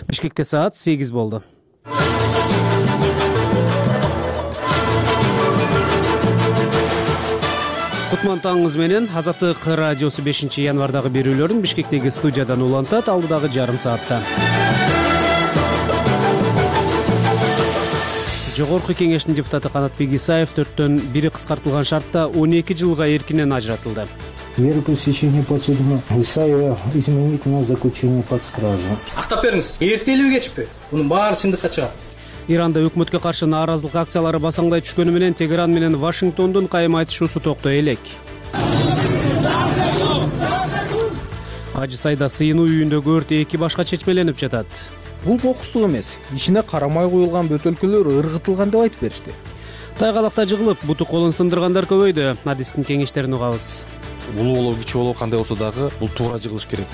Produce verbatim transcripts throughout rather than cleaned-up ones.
Бишкекте саат сегиз болду. Кутман таңыңыз менен. Азаттык радиосу бешинчи январдагы берүүлөрүн Бишкектеги студиядан улантат алдыдагы жарым саатта. Жогорку кеңештин депутаты Канатбек Исаев төрттөн бири кыскартылган шартта он эки жылга эркинен ажыратылды. Меру пресечения подсудимого Исаева изменить на заключение под стражу. Актап бериңиз. Эртелүү кечпи? Мунун баары чындыкка чыгат. Иранда өкмөткө каршы нааразылык акциялары басаңдай түшкөнү менен Тегеран менен Вашингтондун кайым айтышуусу токтой элек. Кажы Сайда сыйынуу үйүндөгү өрт эки башка чечмеленип жатат. Бул кокустук эмес. Ичине карамай куюлган бөтөлкөлөр ыргытылган деп айтып беришти. Тайгалакта жыгылып, буту колун сындыргандар көбөйдү. Адистин кеңештерин угабыз. Улуу болобу, кичи болобу, кандай болсо дагы бул туура жыгылыш керек.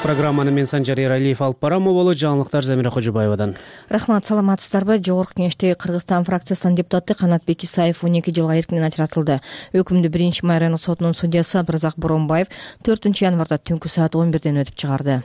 Программаны мен Санжар Эралиев алып барам. Боло жаңылыктар Замира Кожобаевадан. Рахмат, саламатсыздарбы? Жогорку кеңештеги Кыргызстан фракциясынын депутаты Канатбек Исаев он эки жылга эркинен ажыратылды. Өкүмдү биринчи май райондук сотунун судьясы Абдыразак Боронбаев төртүнчү январда түнкү саат он бирден өтүп чыгарды.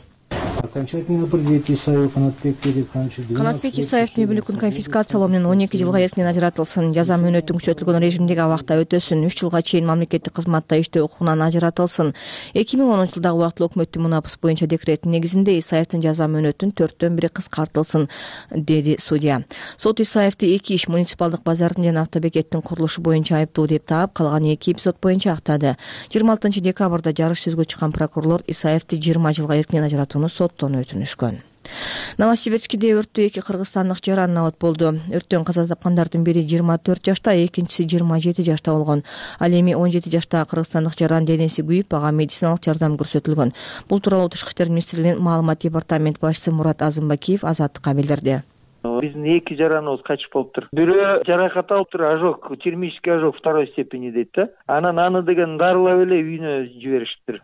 Окончательно определить Исаева Канатбек Переканчы. Канатбек Исаевдин үй бүлөгүн конфискациялоо менен он эки жылга эркинен ажыратылсын, жаза мөөнөтүн күчөтүлгөн режимдеги абакта өтөсүн, үч жылга чейин мамлекеттик кызматта иштөө укугунан ажыратылсын. эки миң онунчу жылдагы убактылуу өкмөттүн мунапыс боюнча декретинин негизинде Исаевдин жаза мөөнөтүн төрттөн бири кыскартылсын, деди судья. Сот Исаевди эки иш муниципалдык базардын жана автобекеттин курулушу боюнча айыптуу деп таап, калган эки эпизод боюнча актады. жыйырма алтынчы декабрда жарыш сөзгө чыккан прокурорлор Исаевди жыйырма жылга эркинен ажыратууну соттон өтүнүшкөн. Новосибирскиде өрттө эки кыргызстандык жаран набат болду. Өрттөн каза тапкандардын бири жыйырма төрт жашта, экинчиси жыйырма жети жашта болгон. Ал эми он жети жаштагы кыргызстандык жаран денеси күйүп, ага медициналык жардам көрсөтүлгөн. Бул тууралуу Тышкы иштер министрлигинин маалымат департамент башчысы Мурат Азымбакиев Азаттыкка билдирди. Биздин эки жараныбыз качып болуптур. Бирөө жаракат алыптыр, ожог, термический ожог второй степени дейт да. Анан аны деген дарылап эле үйүнө жибериштир.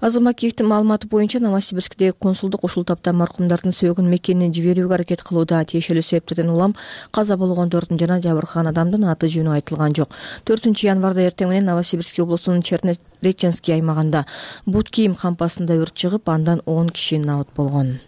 Азымбакиевдин маалыматы боюнча Новосибирскидеги консулдук ушул тапта маркумдардын сөөгүн мекенине жиберүүгө аракет кылууда. Тиешелүү себептерден улам каза болгондордун жана жабыркаган адамдын аты жөнү айтылган жок. төртүнчү январда эртең менен Новосибирск облусунун Чернореченский аймагында бут кийим кампасында өрт чыгып, андан он киши набат болгон.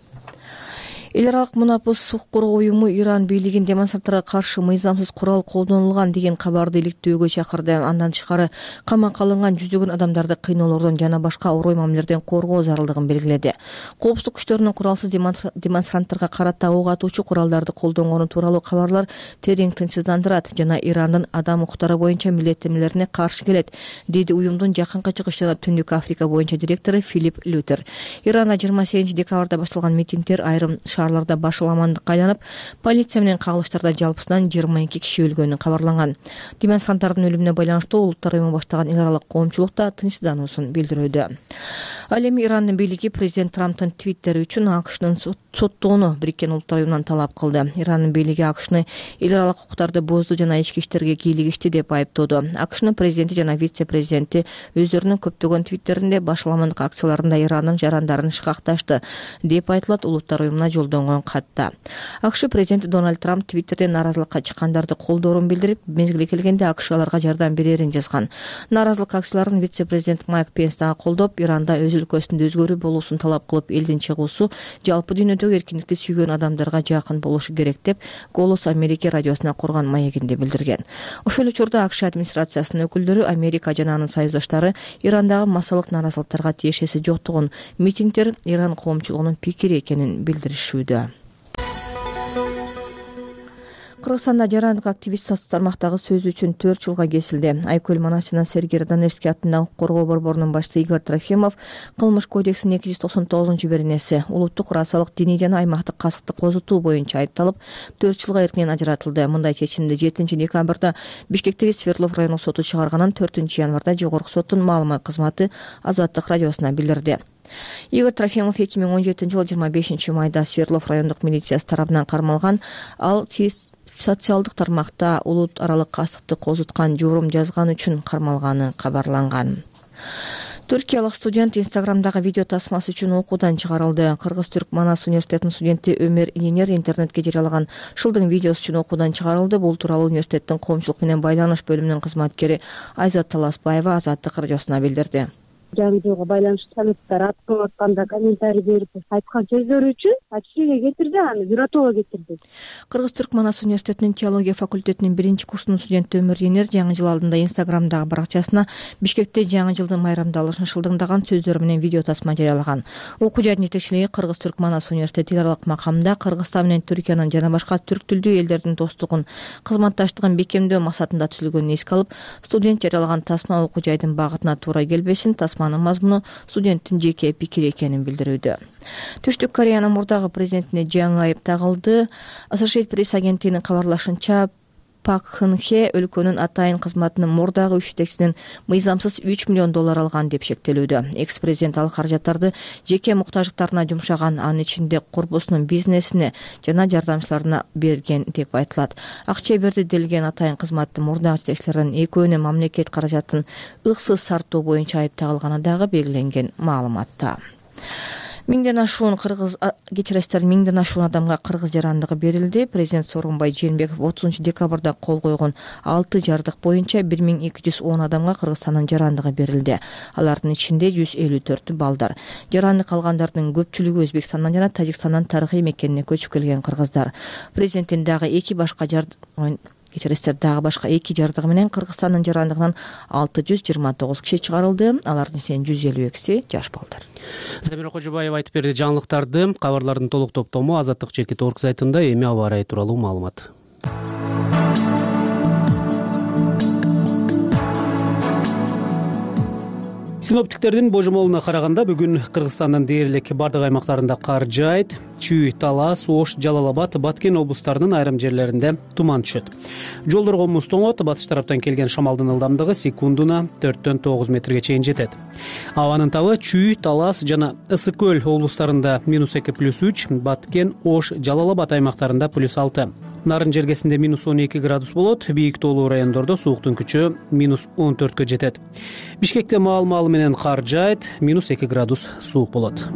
Эл аралык мунапыс укук коргоо уюму Иран бийлигин демонстранттарга каршы мыйзамсыз курал колдонулган деген кабарды иликтөөгө чакырды. Андан тышкары камакка алынган жүздөгөн адамдарды кыйноолордон жана башка орой мамилелерден коргоо зарылдыгын белгиледи. Коопсуздук күчтөрүнүн куралсыз демонстранттарга карата ок атуучу куралдарды колдонгону тууралуу кабарлар терең тынчсыздандырат жана Ирандын адам укуктары боюнча милдеттенмелерине каршы келет, деди уюмдун Жакынкы Чыгыш жана Түндүк Африка боюнча директору Филипп Лютер. Иранда жыйырма сегизинчи декабрда башталган митингдер айрым шаарларда башаламандыкка айланып, полиция менен кагылыштарда жалпысынан жыйырма эки киши өлгөнү кабарланган. Демонстранттардын өлүмүнө байланыштуу Улуттар уюму баштаган эл аралык коомчулук да тынчсыздануусун билдирүүдө. Ал эми Ирандын бийлиги президент Трамптын твиттери үчүн АКШнын соттоону Бириккен Улуттар уюмунан талап кылды. Ирандын бийлиги АКШны эл аралык укуктарды бузду жана ички иштерге кийлигишти деп айыптоодо. АКШнын президенти жана вице-президенти өздөрүнүн көптөгөн твиттеринде башаламандык акцияларында Ирандын жарандарын шыкакташты деп айтылат Улуттар уюмуна жолдонгон катта. АКШ президенти Дональд Трамп твиттерден нааразылыкка чыккандарды колдоорун билдирип, мезгили келгенде АКШ аларга жардам берерин жазган. Нааразылык акцияларын вице-президент Майк Пенс дагы колдоп, Иранда өз өлкөсүндө өзгөрүү болуусун талап кылып, элдин чыгуусу жалпы дүйнөдөгү эркиндикти сүйгөн адамдарга жакын болушу керек деп Голос Америка радиосуна курган маегинде билдирген. Ошол эле учурда АКШ администрациясынын өкүлдөрү Америка жана анын союздаштары Ирандагы массалык нааразылыктарга тиешеси жоктугун, митингдер Иран коомчулугунун пикири экенин билдиришүүдө. Кыргызстанда жарандык активист социалдык тармактагы сөзү үчүн төрт жылга кесилди. Айкөл Манас жана Сергей Раданевский аттындагы укук коргоо борборунун башчысы Игорь Трофимов кылмыш кодексинин эки жүз токсон тогузунчу беренеси улуттук расалык, диний жана аймактык касыкты козутуу боюнча айыпталып, төрт жылга эркинен ажыратылды. Мындай чечимди жетинчи декабрда Бишкектеги Свердлов райондук соту чыгарганын төртүнчү январда жогорку соттун маалымат кызматы Азаттык радиосуна билдирди. Игорь Трофимов эки миң он жетинчи жылы жыйырма бешинчи майда Свердлов райондук милициясы тарабынан кармалган. Ал социалдык тармакта улут аралык касыкты козуткан журум жазган үчүн кармалганы кабарланган. Түркиялык студент Инстаграмдагы видео тасмасы үчүн окуудан чыгарылды. Кыргыз-Түрк Манас университетинин студенти Өмөр Иненер интернетке жарыялаган шылдың видеосу үчүн окуудан чыгарылды. Бул тууралуу университеттин коомчулук менен байланыш бөлүмүнүн кызматкери Айзат Таласбаева Азаттык радиосуна билдирди. жаңы жылга байланыштуу салюттар аткылап атканда комментарий берип айткан сөздөрү үчүн отчисление кетирди, аны бюротого кетирди. Кыргыз-Түрк Манас университетинин теология факультетинин биринчи курсунун студенти Өмүр Енер жаңы жыл алдында Инстаграмдагы баракчасына Бишкекте жаңы жылдын майрамдалышын шылдыңдаган сөздөр менен видео тасма жарыялаган. Окуу жайдын жетекчилиги Кыргыз-Түрк Манас университети эл аралык макамда Кыргызстан менен Түркиянын жана башка түрк тилдүү элдердин достугун, кызматташтыгын бекемдөө максатында түзүлгөнүн эске алып, студент жарыялаган тасма окуу жайдын багытына туура келбесин, тасманын мазмуну студенттин жеке пикири экенин билдирүүдө. Түштүк Кореянын мурдагы президентине жаңы айып тагылды. Associated Press агенттигинин кабарлашынча, Пак Хын Хе өлкөнүн атайын кызматынын мурдагы үч жетекчисинен мыйзамсыз үч миллион доллар алган деп шектелүүдө. Экс-президент ал каражаттарды жеке муктаждыктарына жумшаган, анын ичинде курбусунун бизнесине жана жардамчыларына берген деп айтылат. Акча берди делген атайын кызматтын мурдагы жетекчилеринин экөөнүн мамлекет каражатын ыксыз сарптоо боюнча айып тагылганы дагы белгиленген маалыматта. Миңден ашуун кыргыз кечиресиздер, миңден ашуун адамга кыргыз жарандыгы берилди. Президент Сооронбай Жээнбеков отузунчу декабрда кол койгон алты жардык боюнча бир миң эки жүз он адамга Кыргызстандын жарандыгы берилди. Алардын ичинде жүз элүү төртү балдар. Жарандык алгандардын көпчүлүгү Өзбекстандан жана Тажикстандан тарыхый мекенине көчүп келген кыргыздар. Президенттин дагы эки башка жардык Кечиресиздер, дагы башка эки жардыгы менен Кыргызстандын жарандыгынан алты жүз жыйырма тогуз киши чыгарылды. Алардын ичинен жүз элүү экиси жаш балдар. Замира Кожобаева айтып берди жаңылыктарды. Кабарлардын толук топтому азаттык чекит орг сайтында. Эми аба ырайы тууралуу маалымат. Синоптиктердин божомолуна караганда бүгүн Кыргызстандын дээрлик бардык аймактарында кар жаайт. Чүй, Талас, Ош, Жалал Абад, Баткен облустарынын айрым жерлеринде туман түшөт. Жолдорго муз тоңот, батыш тараптан келген шамалдын ылдамдыгы секундуна төрттөн тогуз метрге чейин жетет. Абанын табы Чүй, Талас жана Ысык көл облустарында минус эки плюс үч, Баткен, Ош, Жалал Абад аймактарында плюс алты. Нарын жергесинде минус он эки градус болот, бийик тоолуу райондордо сууктун күчү минус он төрткө жетет. Бишкекте маал-маалы менен кар жаайт, минус эки градус суук болот.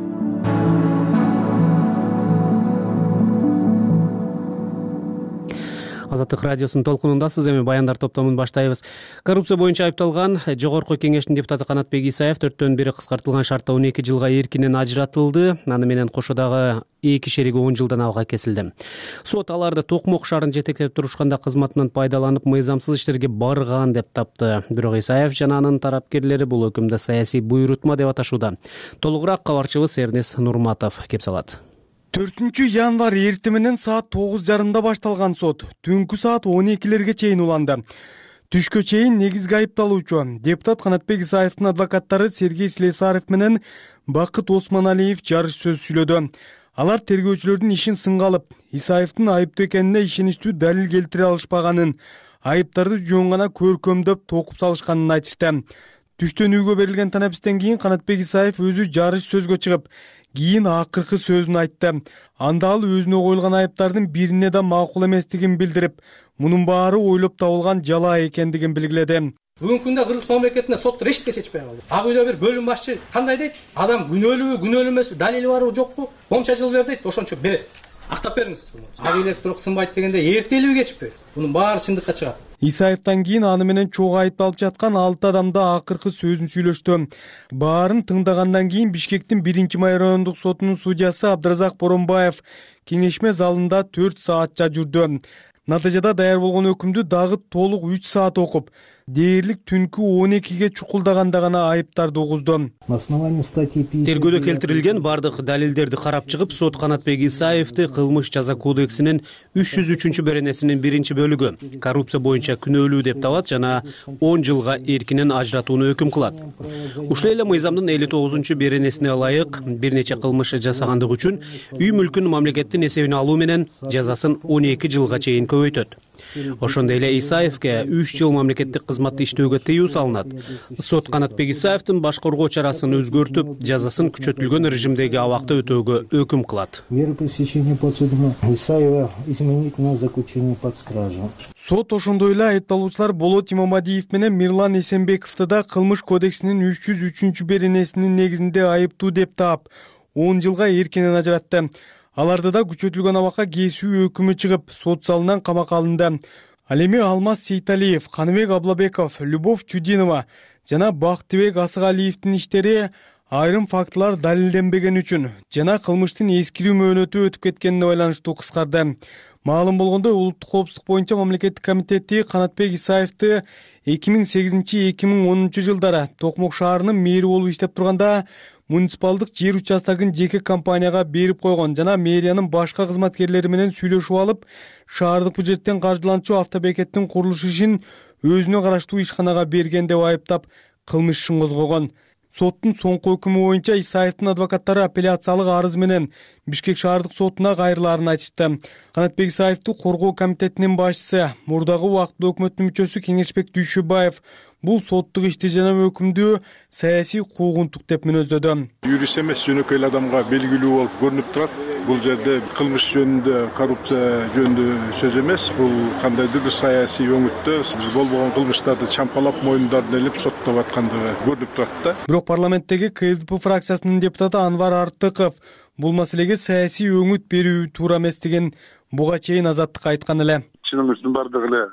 Азаттык радиосунун толкунундасыз. Эми баяндар топтомун баштайбыз. Коррупция боюнча айыпталган Жогорку Кеңештин депутаты Канатбек Исаев төрттөн бири кыскартылган шартта он эки жылга эркинен ажыратылды. Аны менен кошо дагы эки шериги он жылдан абга кесилди. Сот аларды Токмок шаарын жетектеп турушканда кызматынан пайдаланып мыйзамсыз иштерге барган деп тапты. Бирок Исаев жана анын тарапкерлери бул өкүмдү саясий буйрутма деп аташууда. Толугураак кабарчыбыз Эрнес Нурматов кеп салат. төртүнчү январь эртең менен саат тогуз жарымда башталган сот түнкү саат он экилерге чейин уланды. Түшкө чейин негизги айыпталуучу депутат Канатбек Исаевдин адвокаттары Сергей Слесарев менен Бакыт Осмоналиев жарыш сөз сүйлөдү. Алар тергөөчүлөрдүн ишин сынга алып, Исаевдин айыптуу экенине ишеничтүү далил келтире алышпаганын, айыптарды жөн гана көркөмдөп токуп салышканын айтышты. Түштөн үйгө берилген танапистен кийин Канатбек Исаев өзү жарыш сөзгө чыгып, кийин акыркы сөзүн айтты. Анда ал өзүнө коюлган айыптардын бирине да макул эместигин билдирип, мунун баары ойлоп табылган жалаа экендигин белгиледи. Бүгүнкү күндө Кыргыз мамлекетинде соттор эчтеке чечпей калды. Ак үйдө бир бөлүм башчы кандай дейт? Адам күнөөлүүбү, күнөөлүү эмеспи, далили барбы, жокпу? Комча жыл бер дейт, ошончо берет. Актап бериңиз. Ак үйлер турук сынбайт дегенде эртелиби кечпи? Мунун баары чындыкка чыгат. Исаевден кийин аны менен чогуу айыпталып жаткан алты адамда акыркы сөзүн сүйлөштү. Баарын тыңдагандан кийин Бишкектин биринчи май райондук сотунун судьясы Абдыразак Боронбаев кеңешме залында төрт саатча жүрдү. Натыйжада даяр болгон өкүмдү дагы толук үч саат окуп, дээрлик түнкү он экиге чукулдаганда гана айыптарды угузду. Тергөөдө келтирилген бардык далилдерди карап чыгып, сот Канатбек Исаевди кылмыш жаза кодексинин үч жүз үчүнчү беренесинин биринчи бөлүгү коррупция боюнча күнөөлүү деп табат жана он жылга эркинен ажыратууну өкүм кылат. Ушул эле мыйзамдын элүү тогузунчу беренесине ылайык бир нече кылмыш жасагандык үчүн үй мүлкүн мамлекеттин эсебине алуу менен жазасын он эки жылга чейин көбөйтөт. Ошондой эле Исаевге үч жыл мамлекеттик кызматты иштөөгө тыюу салынат. Сот Канатбек Исаевдин баш коргоо чарасын өзгөртүп, жазасын күчөтүлгөн режимдеги абакта өтөөгө өкүм кылат. Меру пресечения подсудимого Исаева изменить на заключение под стражу. Сот ошондой эле айыпталуучулар Болот Имамадиев менен Мирлан Эсенбековду да кылмыш кодексинин үч жүз үчүнчү беренесинин негизинде айыптуу деп таап, он жылга эркинен ажыратты. Аларды да күчөтүлгөн абакка кесүү өкүмү чыгып, сот залынан камакка алынды. Ал эми Алмаз Сейталиев, Каныбек Аблабеков, Любовь Чудинова жана Бактыбек Асыгалиевдин иштери айрым фактылар далилденбеген үчүн жана кылмыштын эскирүү мөөнөтү өтүп кеткенине байланыштуу кыскарды. Маалым болгондой, улуттук коопсуздук боюнча мамлекеттик комитети Канатбек Исаевди эки миң сегизинчи эки миң онунчу жылдары Токмок шаарынын мэри болуп иштеп турганда муниципалдык жер участогун жеке компанияга берип койгон жана мэриянын башка кызматкерлери менен сүйлөшүп алып, шаардык бюджеттен каржыланчу автобекеттин курулуш ишин өзүнө караштуу ишканага берген деп айыптап кылмыш ишин козгогон. Соттун соңку өкүмү боюнча Исаевдин адвокаттары апелляциялык арыз менен Бишкек шаардык сотуна кайрылаарын айтышты. Канатбек Исаевди коргоо комитетинин башчысы, мурдагы убактылуу өкмөттүн мүчөсү Кеңешбек Дүйшөбаев бул соттук ишти жана өкүмдү саясий куугунтук деп мүнөздөдү. Юрист эмес, жөнөкөй эле адамга белгилүү болуп көрүнүп турат. Бул жерде кылмыш жөнүндө, коррупция жөнүндө сөз эмес, бул кандайдыр бир саясий өңүттө болбогон кылмыштарды чампалап мойнундарын элип соттоп аткандыгы көрүнүп турат да. Бирок парламенттеги КСДП фракциясынын депутаты Анвар Артыков бул маселеге саясий өңүт берүү туура эмес деген буга чейин Азаттыкка айткан эле. Чынымыздын бардыгы эле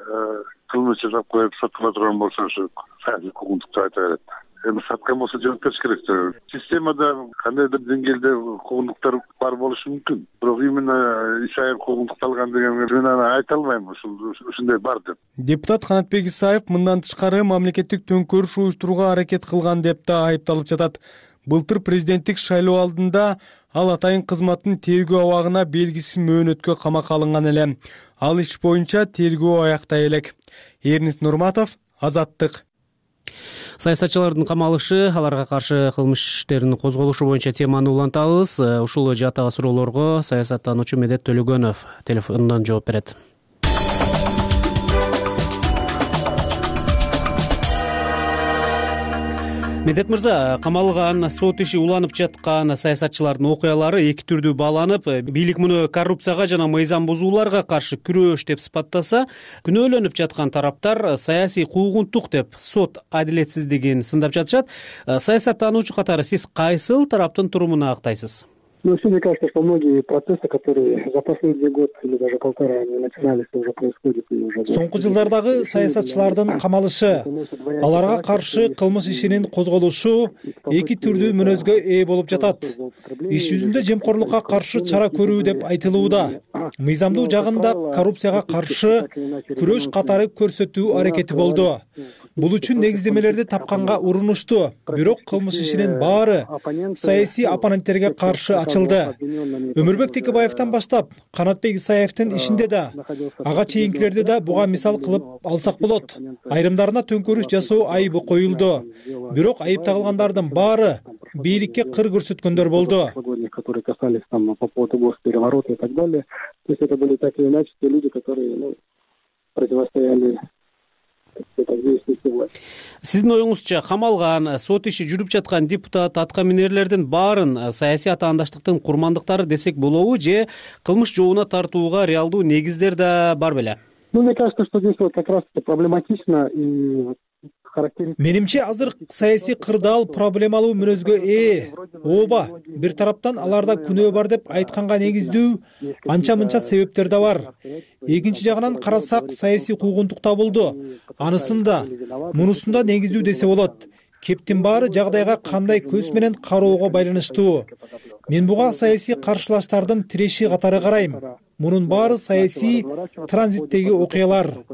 кылмыш жасап коюп соттоло турган болсо ушу саясий куугунтук деп айта берет. Эми саткан болсо жооп бериш керек. Системада кандайдыр деңгээлде куугунтуктар бар болушу мүмкүн. Бирок именно Исаев куугунтукталган деген мен аны айта албайм, ушундай бар деп. Депутат Канатбек Исаев мындан тышкары мамлекеттик төңкөрүш уюштурууга аракет кылган деп да айыпталып жатат. Былтыр президенттик шайлоо алдында ал атайын кызматтын тергөө абагына белгисиз мөөнөткө камакка алынган эле. Ал иш боюнча тергөө аяктай элек. Эрнис Нурматов, Азаттык. Саясатчылардын камалышы, аларга каршы кылмыш иштеринин козголушу боюнча теманы улантабыз. Ушул жаатагы суроолорго саясаттануучу Медет Төлөгөнов телефондон жооп берет. Медет мырза, камалган, сот иши уланып жаткан саясатчылардын окуялары эки түрдүү бааланып, бийлик муну коррупцияга жана мыйзам бузууларга каршы күрөш деп сыпаттаса, күнөөлөнүп жаткан тараптар саясий куугунтук деп сот адилетсиздигин сындап жатышат. Саясаттануучу катары сиз кайсыл тараптын турумуна актайсыз? Ну, все мне кажется, что многие процессы, которые за последний год или даже полтора они начинались, уже происходят и уже... Соңку жылдардагы саясатчылардын камалышы, аларга каршы кылмыш ишинин козголушу эки түрдүү мүнөзгө ээ болуп жатат. Иш жүзүндө жемкорлукка каршы чара көрүү деп айтылууда. Мыйзамдуу жагында коррупцияга каршы күрөш катары көрсөтүү аракети болду. Бул үчүн негиздемелерди тапканга урунушту. Бирок кылмыш ишинин баары саясий оппоненттерге каршы ачылды. Өмүрбек Текебаевден баштап Канатбек Исаевдин ишинде да, ага чейинкилерди да буга мисал кылып алсак болот. Айрымдарына төңкөрүш жасоо айыбы коюлду. Бирок айып тагылгандардын баары бийликке кыр көрсөткөндөр болду. Которые касались там по поводу госпереворота и так далее. То есть это были так или иначе те люди, которые ну, противостояли. Сиздин оюңузча камалган, сот иши жүрүп жаткан депутат, атка минерлердин баарын саясий атаандаштыктын курмандыктары десек болобу, же кылмыш жообуна тартууга реалдуу негиздер да бар беле? Ну, мне кажется, что здесь вот как раз это проблематично и Менимче азыр саясий кырдаал проблемалуу мүнөзгө ээ. Ооба, бир тараптан аларда күнөө бар деп айтканга негиздүү анча-мынча себептер да бар. Экинчи жагынан карасак, саясий куугунтук табылды. Анысында, мунусунда негиздүү десе болот. Кептин баары жагдайга кандай көз менен кароого байланыштуу. Мен буга саясий каршылаштардын тиреши катары карайм. Мунун баары саясий транзиттеги окуялар.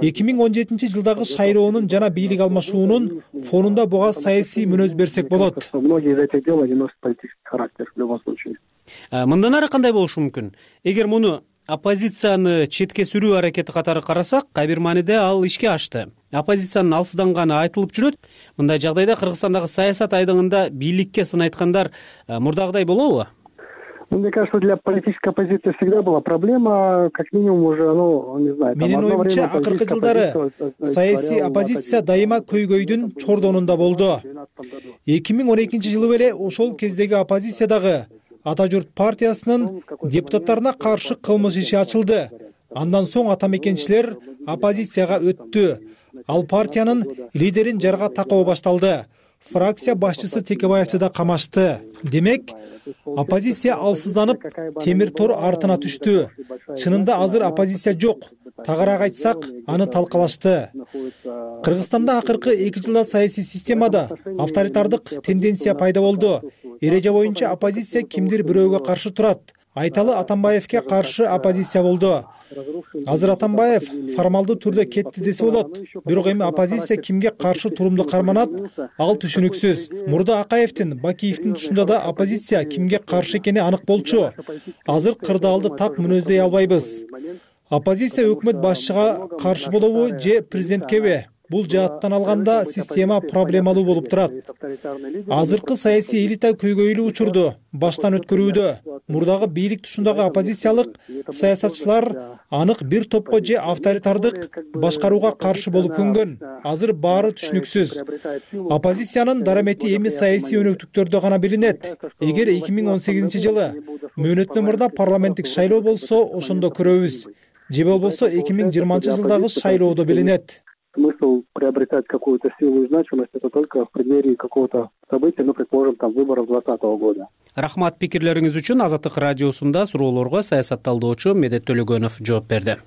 эки миң он жетинчи жылдагы шайлоонун жана бийлик алмашуунун фонунда буга саясий мүнөз берсек болот. Мындан ары кандай болушу мүмкүн? Эгер муну оппозицияны четке сүрүү аракети катары карасак, кайбир мааниде ал ишке ашты. Оппозициянын алсызданганы айтылып жүрөт. Мындай жагдайда Кыргызстандагы саясат айдыгында бийликке сын айткандар мурдагыдай болобу? Мне кажется, для политической оппозиции всегда была проблема, как минимум уже, ну, не знаю... Менин оюмча, акыркы жылдары саясий оппозиция дайыма көйгөйдүн чордонунда болду. эки миң он экинчи жылы эле ошол кездеги оппозициядагы Ата журт партиясынын депутаттарына каршы кылмыш иши ачылды. Андан соң ата мекенчилер оппозицияга өттү. Ал партиянын лидерин жарга такоо башталды. Фракция башчысы Текебаевди да камашты. Демек, оппозиция алсызданып, темир тор артына түштү. Чынында азыр оппозиция жок. тагыраак айтсак, аны талкалашты. Кыргызстанда акыркы эки жылда саясий системада авторитардык тенденция пайда болду. Эреже боюнча оппозиция кимдир бирөөгө каршы турат. Айталы Атамбаевке каршы оппозиция болду. Азыр Атамбаев формалдуу түрдө кетти десе болот. Бирок эми оппозиция кимге каршы турумду карманат, ал түшүнүксүз. Мурда Акаевдин, Бакиевдин тушунда да оппозиция кимге каршы экени анык болчу. Азыр кырдаалды так мүнөздөй албайбыз. Оппозиция өкмөт башчыга каршы болобу же президенткеби? Бул жааттан алганда система проблемалуу болуп турат. Азыркы саясий элита көйгөйлүү учурду баштан өткөрүүдө. Мурдагы бийлик тушундагы оппозициялык саясатчылар анык бир топко же авторитардык башкарууга каршы болуп көнгөн. Азыр баары түшүнүксүз. Оппозициянын дарамети эми саясий өнөктүктөрдө гана билинет. Эгер эки миң он сегизинчи жылы мөөнөттөн мурда парламенттик шайлоо болсо, ошондо көрөбүз. Же болбосо эки миң жыйырманчы жылдагы шайлоодо билинет. Смысл приобретать какую-то силу и значимость это только в преддверии какого-то события, ну, предположим, там, выборов двадцатого года. Рахмат пикирлериңиз үчүн. Азаттык радиосунда суроолорго саясатталдоочу Медет Төлөгөнов жооп берди.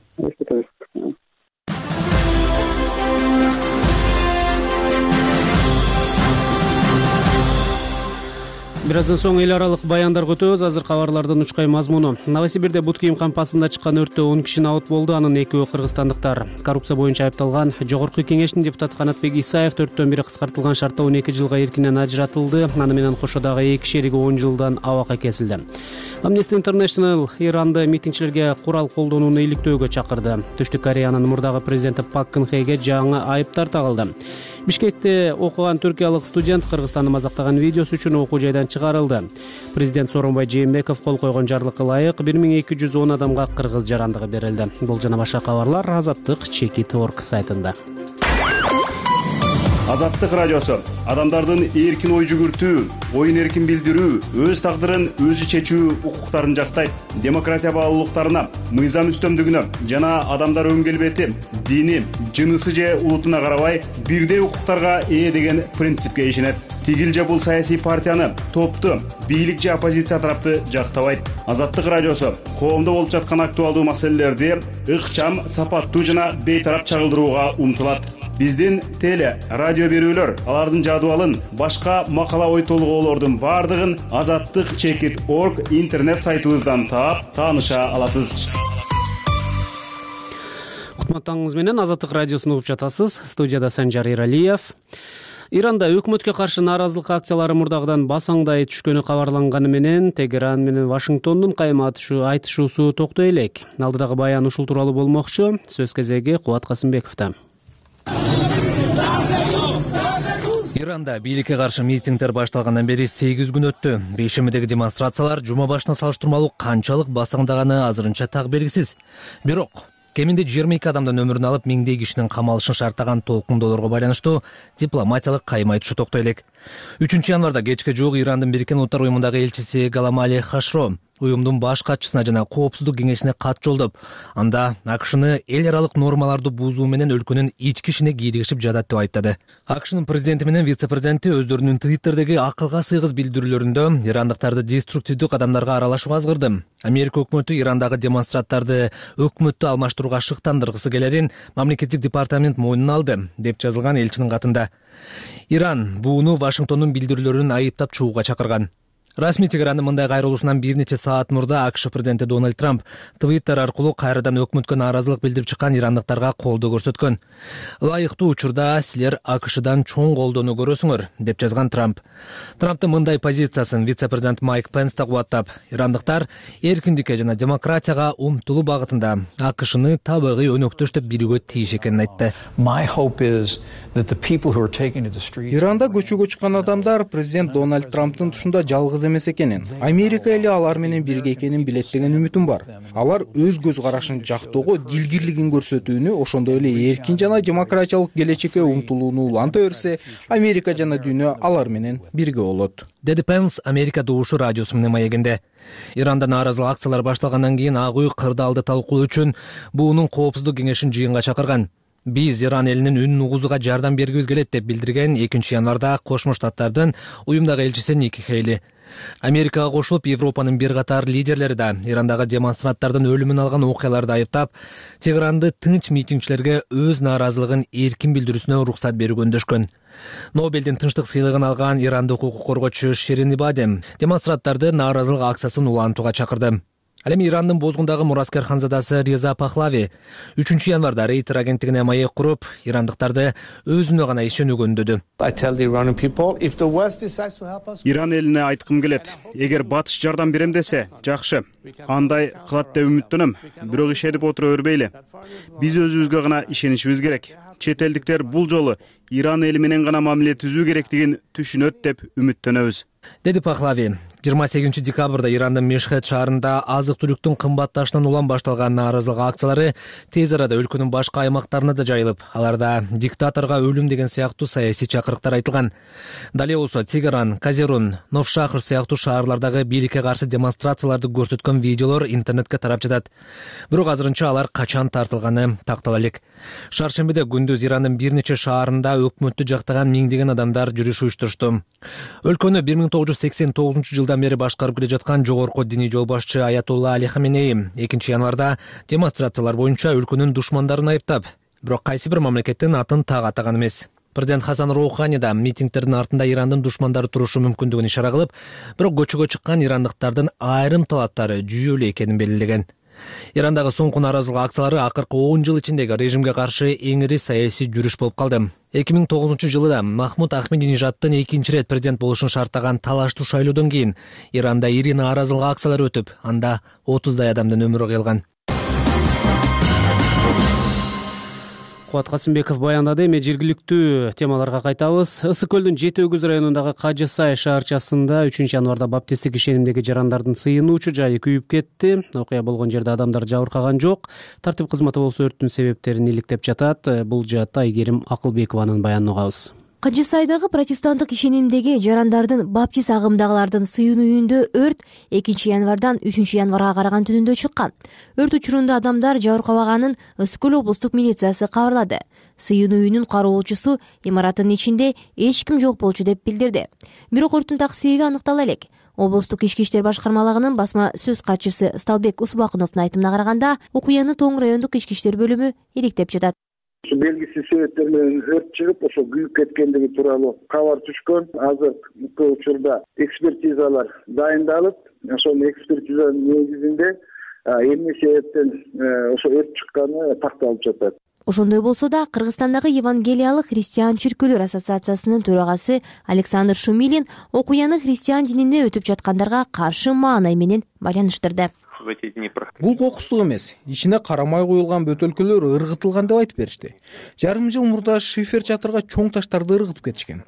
Бир аздан соң эл аралык баяндарга өтөбүз. Азыр кабарлардын учкай мазмуну. Новосибирде бут кийим кампасында чыккан өрттө он киши абыт болду. Анын экөө кыргызстандыктар. Коррупция боюнча айыпталган Жогорку Кеңештин депутаты Канатбек Исаев төрттөн бири кыскартылган шартта он эки жылга эркинен ажыратылды. Аны менен кошо дагы эки шериги он жылдан абакка кесилди. Amnesty International Иранды митингчилерге курал колдонууну иликтөөгө чакырды. Түштүк Кореянын мурдагы президенти Пак Кын Хеге жаңы айыптар тагылды. Бишкекте окуган түркиялык студент Кыргызстанды мазактаган видеосу үчүн окуу жайдан чыгарылды. Президент Сооронбай Жээнбеков кол койгон жарлыкка ылайык бир миң эки жүз он адамга кыргыз жарандыгы берилди. Бул жана башка кабарлар Азаттык Чекит орг сайтында. Азаттык радиосу адамдардын эркин ой жүгүртүү, оюн эркин билдирүү, өз тагдырын өзү чечүү укуктарын жактайт. Демократия баалуулуктарына, мыйзам үстөмдүгүнө жана адамдар өн келбети, дини, жынысы же улутуна карабай бирдей укуктарга ээ деген принципке ишенет. Тигил же бул саясий партияны, топту, бийлик же оппозиция тарапты жактабайт. Азаттык радиосу коомдо болуп жаткан актуалдуу маселелерди ыкчам, сапаттуу жана бейтарап чагылдырууга умтулат. Биздин теле, радио берүүлөр, алардын жадыбалын, башка макала ой толгоолордун бардыгын азаттык чекит орг интернет сайтыбыздан таап, тааныша аласыз. Кутматтарыңыз менен Азаттык радиосун угуп жатасыз. Студияда Санжар Иралиев. Иранда өкмөткө каршы нааразылык акциялары мурдагыдан басаңдай түшкөнү кабарланганы менен Тегеран менен Вашингтондун кайма айтышуусу токтой элек. Алдыдагы баян ушул тууралуу болмокчу. Сөз кезеги Кубат Касымбековдо. Иранда бийликке каршы митингдер башталгандан бери сегиз күн өттү. Бейшемидеги демонстрациялар жума башына салыштырмалуу канчалык басаңдаганы азырынча так белгисиз. Бирок кеминде жыйырма эки адамдын өмүрүн алып, миңдей кишинин камалышын шарттаган толкундоолорго байланыштуу дипломатиялык кайма айтышы токтой элек. үчүнчү январда кечке жуук Ирандын Бириккен Улуттар уюмундагы элчиси Галамали Хашро уюмдун баш катчысына жана коопсуздук кеңешине кат жолдоп, анда АКШны эл аралык нормаларды бузуу менен өлкөнүн ички ишине кийлигишип жатат деп айыптады. АКШнын президенти менен вице-президенти өздөрүнүн Твиттердеги акылга сыйгыз билдирүүлөрүндө ирандыктарды деструктивдүү кадамдарга аралашууга азгырды. Америка өкмөтү Ирандагы демонстранттарды өкмөттү алмаштырууга шыктандыргысы келерин мамлекеттик департамент мойнуна алды, деп жазылган элчинин катында. Иран буну Вашингтондун билдирүүлөрүн айыптап чыгууга чакырган. Расмий Тегерандын мындай кайрылуусунан бир нече саат мурда АКШ президенти Дональд Трамп Твиттер аркылуу кайрадан өкмөткө нааразылык билдирип чыккан ирандыктарга колдоо көрсөткөн. Ылайыктуу учурда силер АКШдан чоң колдоону көрөсүңөр, деп жазган Трамп. Трамптын мындай позициясын вице-президент Майк Пенс да кубаттап, ирандыктар эркиндикке жана демократияга умтулуу багытында АКШны табигый өнөктөш деп билүүгө тийиш экенин айтты. Иранда көчөгө чыккан адамдар президент Дональд Трамптын тушунда жалгыз эмес экенин, Америка эли алар менен бирге экенин билет деген үмүтүм бар. Алар өз көз карашын жактоого, дилгирлигин көрсөтүүнү, ошондой эле эркин жана демократиялык келечекке умтулууну уланта берсе, Америка жана дүйнө алар менен бирге болот, деди Пенс Америка добушу радиосу менен маегинде. Иранда нааразылык акциялар башталгандан кийин Ак үй кырдаалды талкуулоо үчүн буунун коопсуздук кеңешин жыйынга чакырган. Биз Иран элинин үнүн угузууга жардам бергибиз келет деп билдирген экинчи январда Кошмо Штаттардын уюмдагы элчиси Ники Хейли. Америкага кошулуп, Европанын бир катар лидерлери да Ирандагы демонстранттардын өлүмүн алган окуяларды айыптап, Тегеранды тынч митингчилерге өз нааразылыгын эркин билдирүүсүнө уруксат берүүгө үндөшкөн. Нобелдин тынчтык сыйлыгын алган ирандык укук коргоочу Шерин Ибади демонстранттарды нааразылык акциясын улантууга чакырды. Ал эми Ирандын бозгундагы мураскер ханзадасы Реза Пахлави үчүнчү январда Рейтер агенттигине маек куруп, ирандыктарды өзүнө гана ишенүүгө үндөдү. Иран элине айткым келет, эгер батыш жардам берем десе, жакшы. Андай кылат деп үмүттөнөм, бирок ишенип отура бербейли. Биз өзүбүзгө гана ишенишибиз керек. Чет элдиктер бул жолу Иран эли менен гана мамиле түзүү керектигин түшүнөт деп үмүттөнөбүз, деди Пахлави. жыйырма сегизинчи декабрда Ирандын Мешхед шаарында азык-түлүктүн кымбатташынан улам башталган нааразылык акциялары тез арада өлкөнүн башка аймактарына да жайылып, аларда диктаторго өлүм деген сыяктуу саясий чакырыктар айтылган. Дале болсо Тегеран, Казерун, Новшахр сыяктуу шаарлардагы бийликке каршы демонстрацияларды көрсөткөн видеолор интернетке тарап жатат. Бирок азырынча алар качан тартылганы тактала элек. Шаршембиде күндүз Ирандын бир нече шаарында өкмөттү жактаган миңдеген адамдар жүрүш уюштурушту. Өлкөнү бир миң тогуз жүз сексен тогузунчу жылдан бери башкарып келе жаткан жогорку диний жол башчы Аятолла Али Хаменеи экинчи январда демонстрациялар боюнча өлкөнүн душмандарын айыптап, бирок кайсы бир мамлекеттин атын так атаган эмес. Президент Хасан Роухани да митингтердин артында Ирандын душмандары турушу мүмкүндүгүн ишара кылып, бирок көчөгө чыккан ирандыктардын айрым талаптары жүйөлүү экенин белгилеген. Ирандагы соңку нааразылык акциялары акыркы он жыл ичиндеги режимге каршы эң ири саясий жүрүш болуп калды. эки миң тогузунчу жылы Махмуд Ахмединежаддын экинчи ирет президент болушун шарттаган талаштуу шайлоодон кийин Иранда ири нааразылык акциялары өтүп, анда отуздай адамдын өмүрү кыйылган. Кубат Касымбеков баяндады. Эми жергиликтүү темаларга кайтабыз. Ысык көлдүн Жети Өгүз районундагы Кажы Сай шаарчасында үчүнчү январда баптисттик ишенимдеги жарандардын сыйынуучу жайы күйүп кетти. Окуя болгон жерде адамдар жабыркаган жок. Тартип кызматы болсо өрттүн себептерин иликтеп жатат. Бул жаатта Айгерим Акылбекованын баянын угабыз. Кажы Сайдагы протестанттык ишенимдеги жарандардын баптист агымдагылардын сыйын үйүндө өрт экинчи январдан үчүнчү январга караган түнүндө чыккан. Өрт учурунда адамдар жабыркабаганын Ысык көл облустук милициясы кабарлады. Сыйын үйүнүн кароочусу имараттын ичинде эч ким жок болчу деп билдирди. Бирок өрттүн так себеби аныктала элек. Облустук ички иштер башкармалыгынын басма сөз катчысы Сталбек Усбакуновдун айтымына караганда, окуяны Тоң райондук ички иштер бөлүмү иликтеп жатат. Белгисиз себептер менен өрт чыгып, ошо күйүп кеткендиги тууралуу кабар түшкөн. Азыр бул учурда экспертизалар дайындалып, ошол экспертизанын негизинде эмне себептен ошо өрт чыкканы такталып жатат. Ошондой болсо да Кыргызстандагы Евангелиялык христиан чиркөөлөр ассоциациясынын төрагасы Александр Шумилин окуяны христиан динине өтүп жаткандарга каршы маанай менен байланыштырды. Бул кокустук эмес, ичине карамай коюлган бөтөлкөлөр ыргытылган деп айтып беришти. Жарым жыл мурда шифер чатырга чоң таштарды ыргытып кетишкен.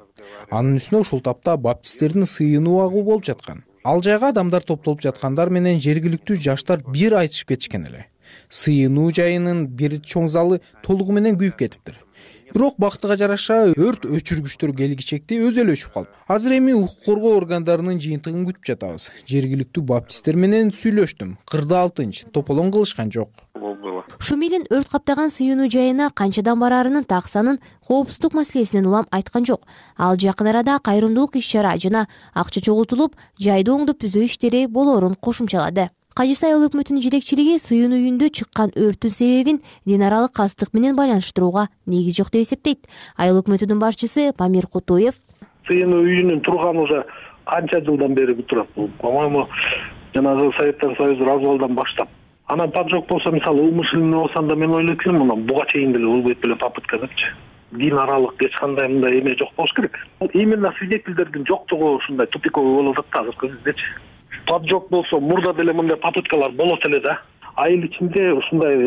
Анын үстүнө ушул тапта баптисттердин сыйынуу агуу болуп жаткан. Ал жайга адамдар топтолуп жаткандар менен жергиликтүү жаштар бир айтышып кетишкен эле. Сыйынуу жайынын бир чоң залы толугу менен күйүп кетиптир. Бирок бактыга жараша өрт өчүргүчтөр келгичекти өзү эле өчүп калып. Азыр эми укук коргоо органдарынын жыйынтыгын күтүп жатабыз. Жергиликтүү баптисттер менен сүйлөштүм. Кырдаал тынч, тополоң кылышкан жок. Шумилин өрт каптаган сыйынуу жайына канчадан бараарынын таксанын коопсуздук маселесинен улам айткан жок. Ал жакын арада кайрымдуулук иш-чара жана акча чогултулуп, жайды оңдоп түзөө иштери болоорун кошумчалады. Кажы Сай өкмөтүнүн жетекчилиги сыйын үйүндө чыккан өрттүн себебин дин аралык кастык менен байланыштырууга негиз жок деп эсептейт. Айыл өкмөтүнүн башчысы Памир Кутуев сыйын үйүнүн турганы уже канча жылдан бери турат. По-моему, жанагы Советтер Союзу развалдан баштап. Анан поджог болсо, мисалы, умышленный болсо да мен ойлойт элем, мына буга чейин деле болбойт беле попытка депчи. Дин аралык эч кандай мындай эме жок болуш керек. Именно свидетельдердин жоктугу ушундай тупиковый болуп атат да азыркы кездечи. Поджог болсо, мурда деле мындай попыткалар болот эле да. Айыл ичинде ушундай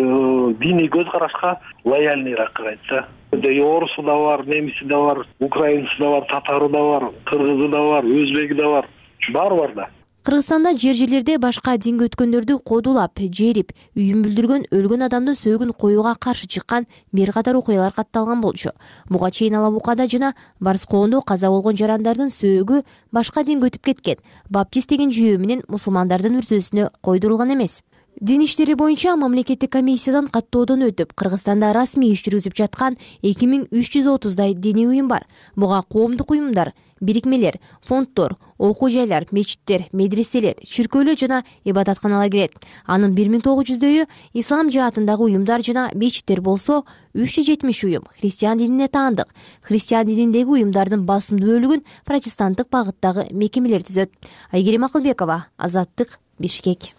диний көз карашка лояльныйраак кылайт да. Орусу да бар, немиси да бар, украинцы да бар, татары да бар, кыргызы да бар, өзбеги да бар. Баары бар да. Кыргызстанда жер-жерлерде башка динге өткөндөрдү кодулап, жерип, үйүн бүлдүргөн, өлгөн адамдын сөөгүн коюуга каршы чыккан бир катар окуялар катталган болчу. Буга чейин Алабукада жана Барскоондо каза болгон жарандардын сөөгү башка динге өтүп кеткен. Баптист деген жүйөө менен мусулмандардын үрзөсүнө койдурулган эмес. Дин иштери боюнча мамлекеттик комиссиядан каттоодон өтүп, Кыргызстанда расмий иш жүргүзүп жаткан эки миң үч жүз отуздай диний уюм бар. Буга коомдук уюмдар, бирикмелер, фонддор, окуу жайлар, мечиттер, медреселер, чүркөөлөр жана ибадатканалар кирет. Анын бир миң тогуз жүздөйү ислам жаатындагы уюмдар жана мечиттер болсо, үч жүз жетимиш уюм христиан динине таандык. Христиан дининдеги уюмдардын басымдуу бөлүгүн протестанттык багыттагы мекемелер түзөт. Айгерим Акылбекова, Азаттык, Бишкек.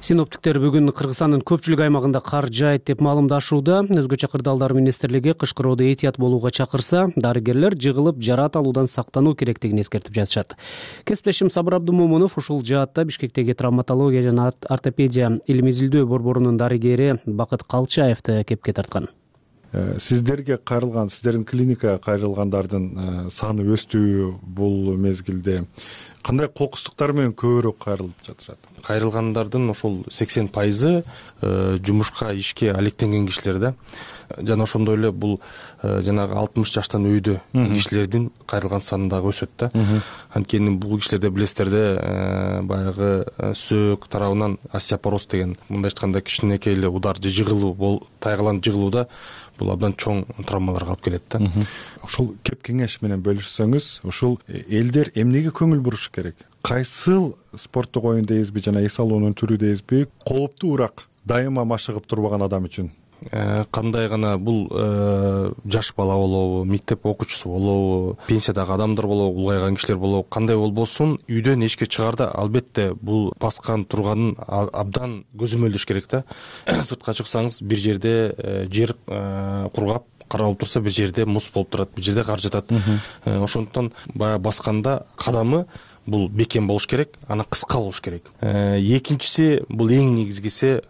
Синоптиктер бүгүн Кыргызстандын көпчүлүк аймагында кар жаайт деп маалымдашууда. Өзгөчө Кырдаалдар министрлиги кышкыроодо этият болууга чакырса, дарыгерлер жыгылып жараат алуудан сактануу керектигин эскертип жатышат. Кесиптешим Сабыр Абдумомунов ушул жаатта Бишкектеги травматология жана ортопедия илим изилдөө борборунун дарыгери Бакыт Калчаевди кепке тарткан. Сиздерге кайрылган, сиздердин клиникага кайрылгандардын саны өстүбү бул мезгилде? Кандай кокустуктар менен көбүрөөк кайрылып жатышат? Кайрылгандардын ошол сексен пайызы жумушка, ишке алектенген кишилер да. Жана ошондой эле бул жанагы алтымыш жаштан өйдө кишилердин кайрылган саны дагы өсөт да. Анткени бул кишилерде билесиздер да, баягы сөөк тарабынан остеопороз деген, мындайча айтканда кичинекей эле удар же жыгылуу, тайгаланып жыгылууда бул абдан чоң травмаларга алып келет да. Ошол кеп кеңеш менен бөлүшсөңүз, ушул элдер эмнеге көңүл бурушу керек? Кайсыл спорттук оюн дейбизби жана эс алуунун түрү дейбизби кооптуу урак дайыма машыгып турбаган адам үчүн? Кандай гана бул жаш бала болобу, мектеп окуучусу болобу, пенсиядагы адамдар болобу, улгайган кишилер болобу, кандай болбосун, үйдөн эшикке чыгаарда албетте бул баскан турганын абдан көзөмөлдөш керек да. Сыртка чыксаңыз, бир жерде жер кургап каралып турса, бир жерде муз болуп турат, бир жерде кар жатат. Ошондуктан баягы басканда кадамы бул бекем болуш керек, ана кыска болуш керек. Экинчиси, бул эң негизгиси,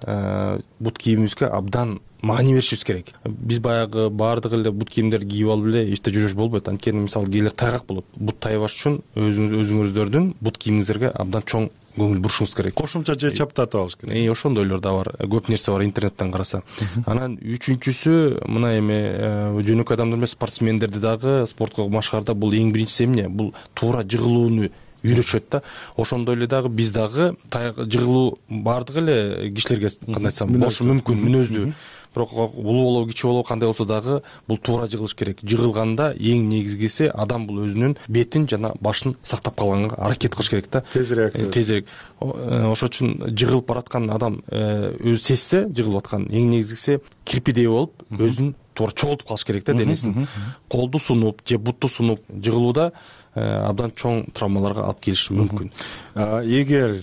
бут кийимибизге абдан маани беришибиз керек. Биз баягы баардык эле бут кийимдерди кийип алып эле эчте жүрүш болбойт. Анткени мисалы кээде тайгак болот. Бут тайбаш үчүн өзүңүздөрдүн бут кийимиңиздерге абдан чоң көңүл бурушуңуз керек. Кошумча же чаптатып алыш керек. Э, ошондойлор да бар. Көп нерсе бар интернеттен караса. Анан үчүнчүсү, мына эми жөнөкөй адамдар эмес, спортсмендерди дагы спортко машыгаарда бул эң биринчиси эмне? Бул туура жыгылууну үйрөтүшөт да. Ошондой эле дагы биз дагы жыгылуу баардык эле кишилерге кандай айтсам болушу мүмкүн, мүнөздүү. Бирок улуу болобу, кичи болобу, кандай болсо дагы бул туура жыгылыш керек. Жыгылганда эң негизгиси адам бул өзүнүн бетин жана башын сактап калганга аракет кылыш керек да. Тез реакция. Тезирээк. Ошон үчүн жыгылып бараткан адам өзү сезсе, жыгылып аткан, эң негизгиси кирпидей болуп, өзүн туура чогултуп калыш керек да денесин. Колду сунуп же бутту сунуп жыгылууда абдан чоң травмаларга алып келиши мүмкүн. Эгер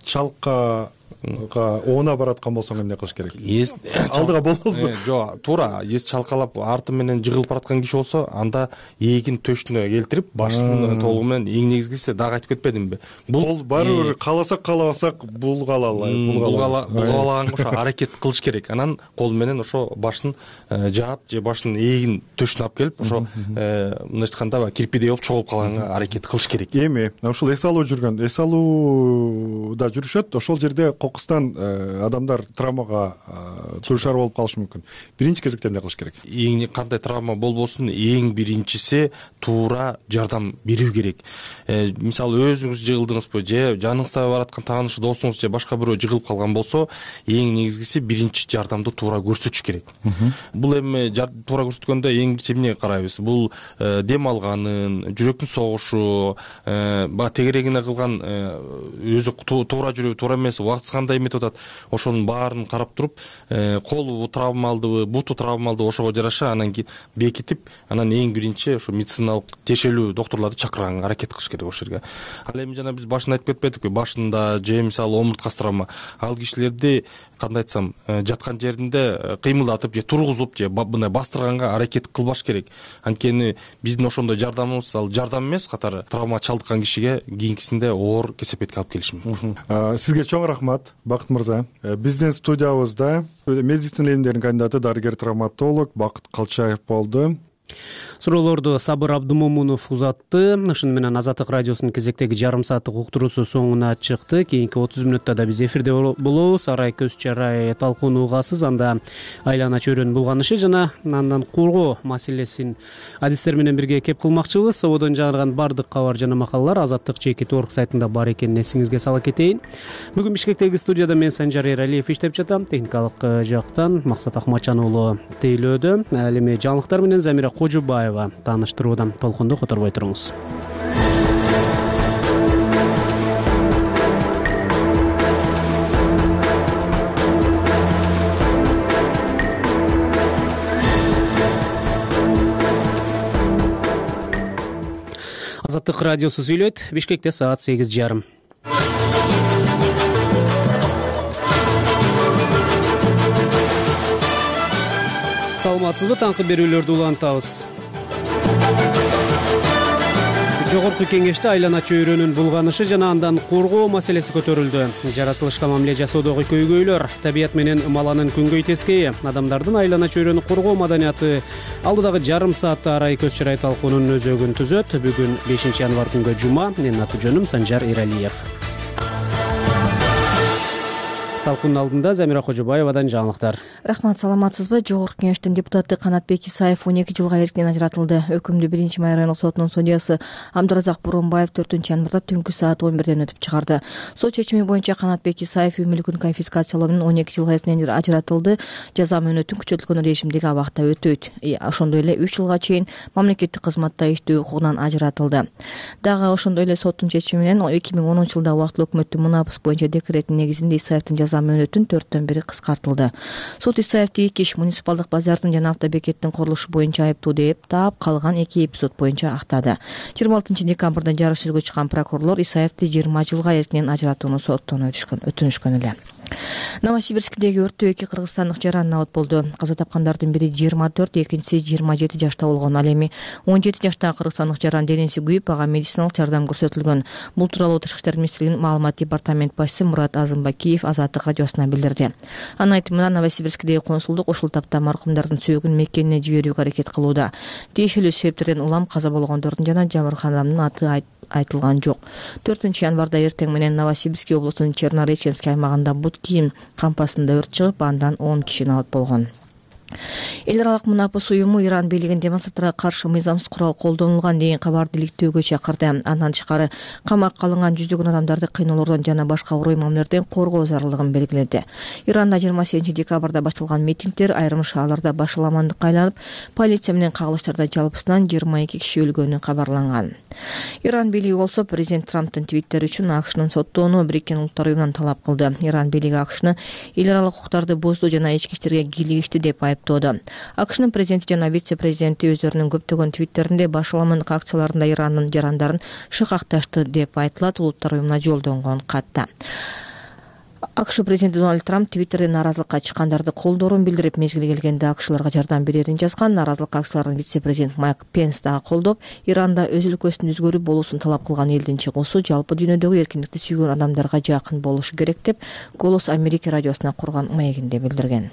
чалка оона бараткан болсоң эмне кылыш керек? Алдыга болобу? Жок, туура эс чалкалап арты менен жыгылып бараткан киши болсо, анда эгин төшүнө келтирип, башын толугу менен, эң негизгиси дагы айтып кетпедимби? Бул баары кааласак каалабасак булгалалай, булгалаганга ошо аракет кылыш керек. Анан кол менен ошо башын жаап же башын эгин төшүнө алып келип, ошо мындайча айтканда кирпидей болуп чогулуп калганга аракет кылыш керек. Эми ушул эс алуу жүргөн, эс алууда жүрүшөт, ошол жерде кокустан адамдар травмага дуушар болуп калышы мүмкүн. Биринчи кезекте эмне кылыш керек? Эң кандай травма болбосун, эң биринчиси туура жардам берүү керек. Мисалы өзүңүз жыгылдыңызбы же жаныңызда бараткан тааныш досуңуз же башка бирөө жыгылып калган болсо, эң негизгиси биринчи жардамды туура көрсөтүш керек. Бул эми туура көрсөткөндө эң биринчи эмне карайбыз? Бул дем алганын, жүрөктүн согушу, баягы тегерегине кылган өзү туура жүрүп, туура эмес, убактысы кандай эметип атат, ошонун баарын карап туруп, колу травмалдыбы, буту травмалдыбы, ошого жараша анан бекитип, анан эң биринчи ошо медициналык тиешелүү доктурларды чакырганга аракет кылыш керек ошол жерге. Ал эми жана биз башында айтып кетпедикпи, башында же мисалы омурткасы травма, ал кишилерди кандай айтсам, жаткан жеринде кыймылдатып же тургузуп же мындай бастырганга аракет кылбаш керек. Анткени биздин ошондой жардамыбыз ал жардам эмес, катары травма чалдыккан кишиге кийинкисинде оор кесепетке алып келиши мүмкүн. Сизге чоң рахмат, Бакыт мырза. Биздин студиябызда медицина илимдеринин кандидаты, дарыгер травматолог Бакыт Калчаев болду. суроолорду Сабыр Абдымомунов узатты. Ушуну менен Азаттык радиосунун кезектеги жарым сааттык уктуруусу соңуна чыкты. Кийинки отуз мүнөттө да биз эфирде болобуз. Арай көз чарай талкууну угасыз. Анда айлана чөйрөнүн булганышы жана андан коргоо маселесин адистер менен бирге кеп кылмакчыбыз. Сободон жаңырган бардык кабар жана макалалар Азаттык чеки торг сайтында бар экенин эсиңизге сала кетейин. Бүгүн Бишкектеги студияда мен Санжар Эралиев иштеп жатам. Техникалык жактан Максат Ахматжан уулу тейлөөдө. Ал эми жаңылыктар менен Замира Кожубаева тааныштырууда. Толкунду которбой туруңуз. Азаттык радиосу сүйлөйт. Бишкекте саат сегиз жарым. Саламатсызбы? Таңкы берүүлөрдү улантабыз. Жогорку кеңеште айлана чөйрөнүн булганышы жана андан коргоо маселеси көтөрүлдү. Жаратылышка мамиле жасоодогу көйгөйлөр, табият менен маланын күнгөй тескейи, адамдардын айлана чөйрөнү коргоо маданияты алдыдагы жарым саатта арай көз чарай талкуунун өзөгүн түзөт. Бүгүн бешинчи январь күнгө жума. Менин аты жөнүм Санжар Эралиев. Талкуунун алдында Замира Кожубаевадан жаңылыктар. Рахмат, саламатсызбы? Жогорку кеңештин депутаты Канатбек Исаев он эки жылга эркинен ажыратылды. Өкүмдү биринчи май райондук сотунун судьясы Абдыразак Буронбаев төртүнчү январда түнкү саат он бирден өтүп чыгарды. Сот чечими боюнча Канатбек Исаев үй мүлкүн конфискациялоо менен он эки жылга эркинен ажыратылды. Жаза мөөнөтүн күчөтүлгөн режимдеги абакта өтөйт. Ошондой эле үч жылга чейин мамлекеттик кызматта иштөө укугунан ажыратылды. Дагы ошондой эле соттун чечими менен эки миң онунчу жылда убактылуу өкмөттүн мунапыс боюнча декретинин негизинде Исаевдин жаза мөөнөтүн төрттөн бири кыскартылды. Суд Исаевди эки иш муниципалдык базардын жана автобекеттин курулушу боюнча айыптуу деп таап, калган эки эпизод боюнча актады. жыйырма алтынчы декабрда жарыш сөзгө чыккан прокурорлор Исаевди жыйырма жылга эркинен ажыратууну соттон өтүнүшкөн эле. Новосибирскдеги өрттө эки кыргызстандык жаран абат болду. Каза тапкандардын бири жыйырма төрт, экинчиси жыйырма жети жашта болгон. Ал эми он жети жаштагы кыргызстандык жаран денеси күйүп, ага медициналык жардам көрсөтүлгөн. Бул тууралуу Тышкы иштер министрлигинин маалымат департамент башчысы Мурат Азымбакиев Азаттык радиосуна билдирди. Анын айтымында Новосибирскдеги консулдук ушул тапта маркумдардын сөөгүн Меккенине жиберүүгө аракет кылууда. Тиешелүү себептерден улам каза болгондордун жана жабыркаган адамдын аты айтылган жок. төртүнчү январда эртең менен Новосибирск облусунун Чернореченский аймагында бут кийим кампасында өрт чыгып, андан он киши абат болгон. Эл аралык мунапыс уюму Иран бийлигин демонстранттарга каршы мыйзамсыз курал колдонулган деген кабарды иликтөөгө чакырды. Андан тышкары камакка алынган жүздөгөн адамдарды кыйноолордон жана башка урой мамилелерден коргоо зарылдыгын белгиледи. Иранда жыйырма сегизинчи декабрда башталган митингдер айрым шаарларда башаламандыкка айланып, полиция менен кагылыштарда жалпысынан жыйырма эки киши өлгөнү кабарланган. Иран бийлиги болсо президент Трамптын твиттери үчүн АКШнын соттоону Бириккен Улуттар уюмунан талап кылды. Иран бийлиги АКШны эл аралык укуктарды бузду жана ички иштерге кийлигишти деп айыптоодо. АКШнын президенти жана вице-президенти өздөрүнүн көптөгөн твиттеринде башаламандык акцияларында Ирандын жарандарын шыкакташты деп айтылат Улуттар уюмуна жолдонгон катта. АКШ президенти Дональд Трамп твиттерде нааразылыкка чыккандарды колдоорун билдирип, мезгили келгенде АКШларга жардам берерин жазган. Нааразылык акцияларын вице-президент Майк Пенс дагы колдоп, Иранда өз өлкөсүн өзгөрүп болуусун талап кылган элдин чыгуусу жалпы дүйнөдөгү эркиндикти сүйгөн адамдарга жакын болушу керек деп Голос Америка радиосуна курган маегинде билдирген.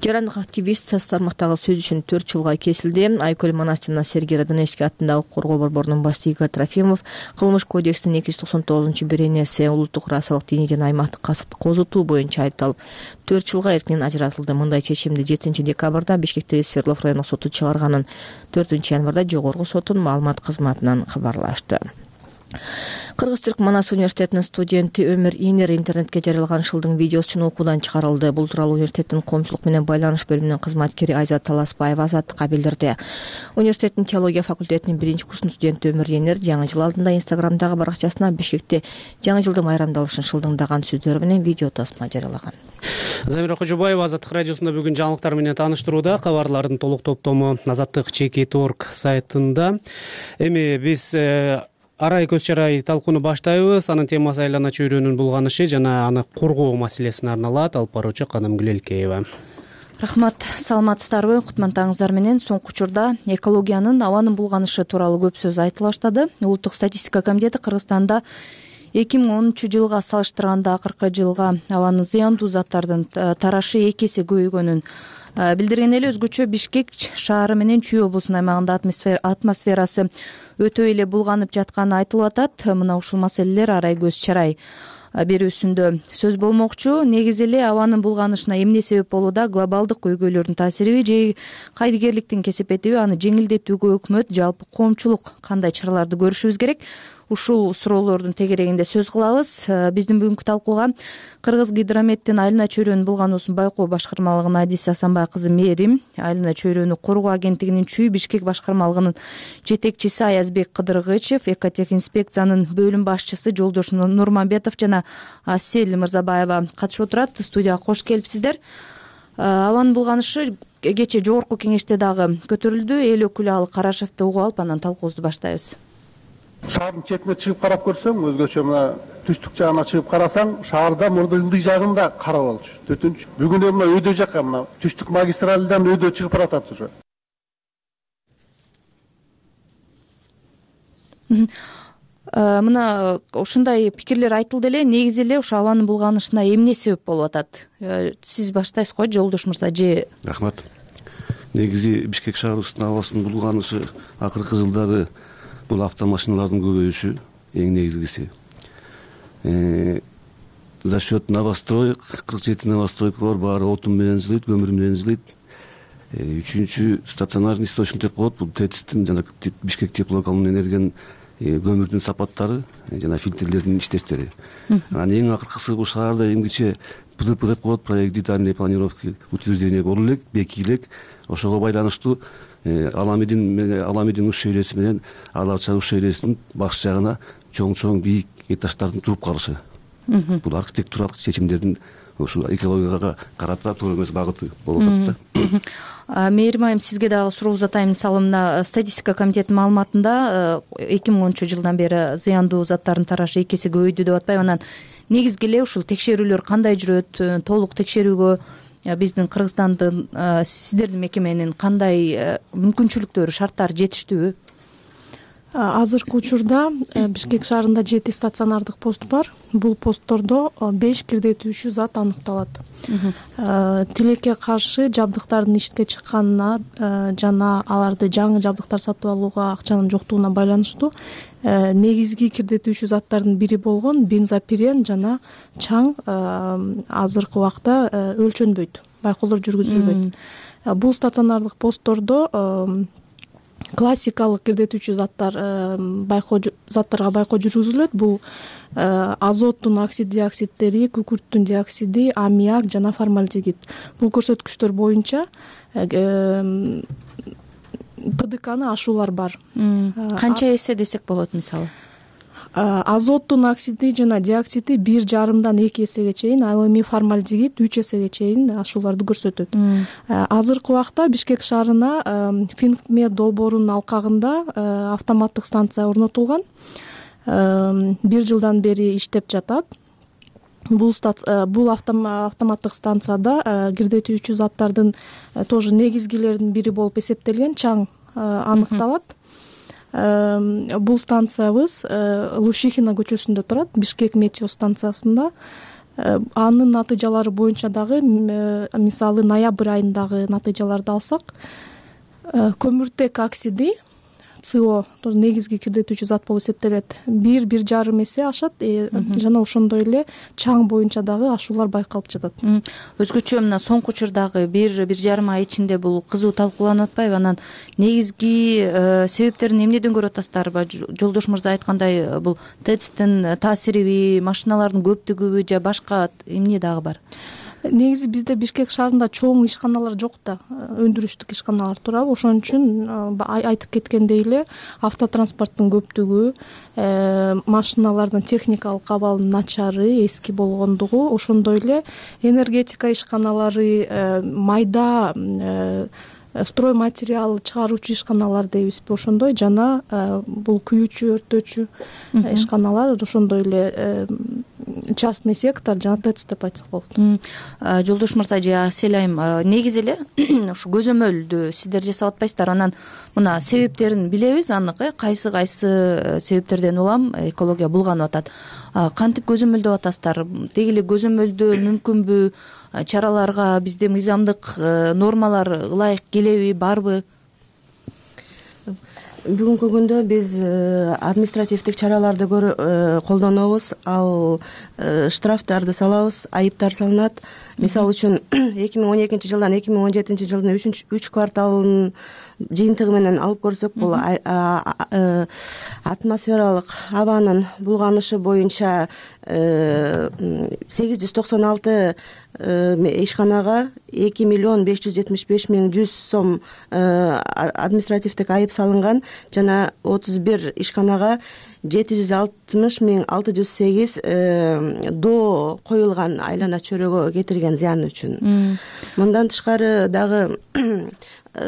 Жарандык активист тармактагы сөз үчүн төрт жылга кесилди. Айкөл Манас жана Сергей Радонежский аттындагы коргоо борборунун башчысы Игорь Трофимов кылмыш кодекстин эки жүз токсон тогузунчу беренеси улуттук расалык диний жана аймактык касыпты козутуу боюнча айыпталып, төрт жылга эркинен ажыратылды. Мындай чечимди жетинчи декабрда Бишкектеги Свердлов райондук соту чыгарганын төртүнчү январда жогорку соттун маалымат кызматынан кабарлашты. Кыргыз-Түрк Манас университетинин студенти Өмүр Инер интернетке жарыялган шылдың видеосун окуудан чыгарылды. Бул тууралуу университеттин коомчулук менен байланыш бөлүмүнүн кызматкери Айзат Таласбаева Азаттыкка билдирди. Университеттин теология факультетинин биринчи курсунун студенти Өмүр Инер жаңы жыл алдында Инстаграмдагы баракчасына Бишкекте жаңы жылдын майрамдалышын шылдыңдаган сөздөр менен видео тасма жарыялаган. Замира Кожубаева Азаттык радиосунда бүгүн жаңылыктар менен тааныштырууда. Кабарлардын толук топтому Азаттык чеки торг сайтында. Эми биз арай көз чарай талкууну баштайбыз. Анын темасы айлана чөйрөнүн булганышы жана аны коргоо маселесине арналат. Алып баруучу Каным Гүлелкеева. Рахмат, саламатсыздарбы? Кутмандтарыңыздар менен соңку учурда экологиянын, абанын булганышы тууралуу көп сөз айтыла баштады. Улуттук статистика комитети Кыргызстанда эки миң онунчу жылга салыштырганда акыркы жылга абанын зыяндуу заттардын тарашы эки эсе көбөйгөнүн билдирген эле өзгөчө Бишкек шаары менен Чүй облусунун аймагында атмосферасы өтө эле булганып жатканы айтылып атат. Мына ушул маселелер арай көз чарай берүүсүндө сөз болмокчу. Негизи эле абанын булганышына эмне себеп болууда? Глобалдык көйгөйлөрдүн таасириби же кайдыгерликтин кесепетиби? Аны жеңилдетүүгө өкмөт, жалпы коомчулук кандай чараларды көрүшүбүз керек? Ушул суроолордун тегерегинде сөз кылабыз. Биздин бүгүнкү талкууга Кыргыз Гидрометтин Айлана чөйрөнүн булгануусун байкоо башкармалыгынын Адиса Асанбай кызы Мээрим, Айлана чөйрөнү коргоо агенттигинин Чүй Бишкек башкармалыгынын жетекчиси Аязбек Кыдыргычев, Экотех инспекциянын бөлүм башчысы Жолдош Нурмамбетов жана Асель Мырзабаева катышып отурат. Студияга кош келипсиздер. Абанын булганышы кечээ жогорку кеңеште дагы көтөрүлдү. Эл өкүлү Ал Карашевди угуп алып, анан талкуубузду баштайбыз. Шаардын четине чыгып карап көрсөң, өзгөчө мына түштүк жагына чыгып карасаң, шаарда мурда ылдый жагында кара болчу. Төртүнчү бүгүн мына өйдө жакка, мына түштүк магистралдан өйдө чыгып баратат уже. Мына ушундай пикирлер айтылды эле. Негизи эле ушу абанын булганышына эмне себеп болуп атат? Сиз баштайсыз го, Жолдош мырза же? Рахмат. Негизи Бишкек шаарыбыздын абасынын булганышы акыркы жылдары бул автомашиналардын көбөйүшү эң негизгиси. За счет новостроек, кырк жети новостройка бар, баары отун менен жылыйт, көмүр менен жылыйт. Үчүнчү стационарный источник деп коет, бул ТЭЦтин жана Бишкек теплокомунун энергиянын көмүрдүн сапаттары жана фильтрлердин иштештери. Анан эң акыркысы бул шаарда эмгиче П Д П деп коет, проект детальной планировки утверждение болуп элек, бекип элек. Ошого байланыштуу Аламидин Аламидин уш шейреси менен Аларча уш шейресинин баш жагына чоң-чоң бийик этаждардын туруп калышы. Бул архитектуралык чечимдердин ушу экологияга карата туура эмес багыты болуп атат да. Мээрим айым, сизге дагы суроо узатайын. Мисалы мына статистика комитетинин маалыматында эки миң онунчу жылдан бери зыяндуу заттардын тарашы эки эсе көбөйдү деп атпайбы? Анан негизги эле ушул текшерүүлөр кандай жүрөт? Толук текшерүүгө биздин Кыргызстандын, сиздердин мекеменин кандай мүмкүнчүлүктөрү, шарттары жетиштүүбү? Азыркы учурда Бишкек шаарында жети стационардык пост бар. Бул посттордо беш кирдетүүчү зат аныкталат. Тилекке каршы жабдыктардын ишке чыкканына жана аларды жаңы жабдыктар сатып алууга акчанын жоктугуна байланыштуу негизги кирдетүүчү заттардын бири болгон бензопирен жана чаң азыркы убакта өлчөнбөйт, байкоолор жүргүзүлбөйт. Бул стационардык посттордо классикалык кирдетүүчү заттар байкоо заттарга байкоо жүргүзүлөт. Бул азоттун оксид диоксидтери, күкүрттүн диоксиди, аммиак жана формальдегид. Бул көрсөткүчтөр боюнча П Д Кны ашуулар бар. Канча эсе десек болот мисалы? Азоттун оксиди жана диоксиди бир жарымдан эки эсеге чейин, ал эми формальдегид үч эсеге чейин ашууларды көрсөтөт. Азыркы убакта Бишкек шаарына Финкмед долбоорунун алкагында автоматтык станция орнотулган. Бир жылдан бери иштеп жатат. Бул бул автоматтык станцияда кирдетүүчү заттардын тоже негизгилеринин бири болуп эсептелген чаң аныкталат. Бул станциябыз Лушихина көчөсүндө турат, Бишкек метео станциясында. Анын натыйжалары боюнча дагы, мисалы ноябрь айындагы натыйжаларды алсак, көмүртек оксиди С О негизги кирдетүүчү зат болуп эсептелет. бир бир жарым эсе ашат жана ошондой эле чаң боюнча дагы ашуулар байкалып жатат. Өзгөчө мына соңку учурдагы бир бир жарым ай ичинде бул кызуу талкууланып атпайбы? Анан негизги себептерин эмнеден көрүп атасыздарбы? Жолдош мырза айткандай, бул ТЭЦтин таасириби, машиналардын көптүгүбү же башка эмне дагы бар? Негизи бизде Бишкек шаарында чоң ишканалар жок да, өндүрүштүк ишканалар турабы. Ошон үчүн айтып кеткендей эле автотранспорттун көптүгү, машиналардын техникалык абалынын начары, эски болгондугу, ошондой эле энергетика ишканалары, майда строй материал чыгаруучу ишканалар дейбизби, ошондой жана бул күйүүчү, өрттөөчү ишканалар ошондой эле частный сектор жана тэц деп айтсак болот. Жолдош мырза же Аселайым, негизи эле ушу көзөмөлдү сиздер жасап атпайсыздар, анан мына себептерин билебиз анык, э кайсы кайсы себептерден улам экология булганып атат. Кантип көзөмөлдөп атасыздар? Деги эле көзөмөлдөө мүмкүнбү? Чараларга бизде мыйзамдык нормалар ылайык келеби, барбы? Бүгүнкү күндө биз административдик чараларды колдонобуз, ал штрафтарды салабыз, айыптар салынат. Мисалы үчүн эки миң он экинчи жылдан эки миң он жетинчи жылдын үч кварталынын жыйынтыгы менен алып көрсөк, бул атмосфералык абанын булганышы боюнча сегиз жүз токсон алты ишканага эки миллион беш жүз жетимиш беш миң жүз сом административдик айып салынган, жана отуз бир ишканага жети жүз алтымыш миң алты жүз сегиз доо коюлган айлана чөйрөгө кетирген зыян үчүн. Мындан тышкары дагы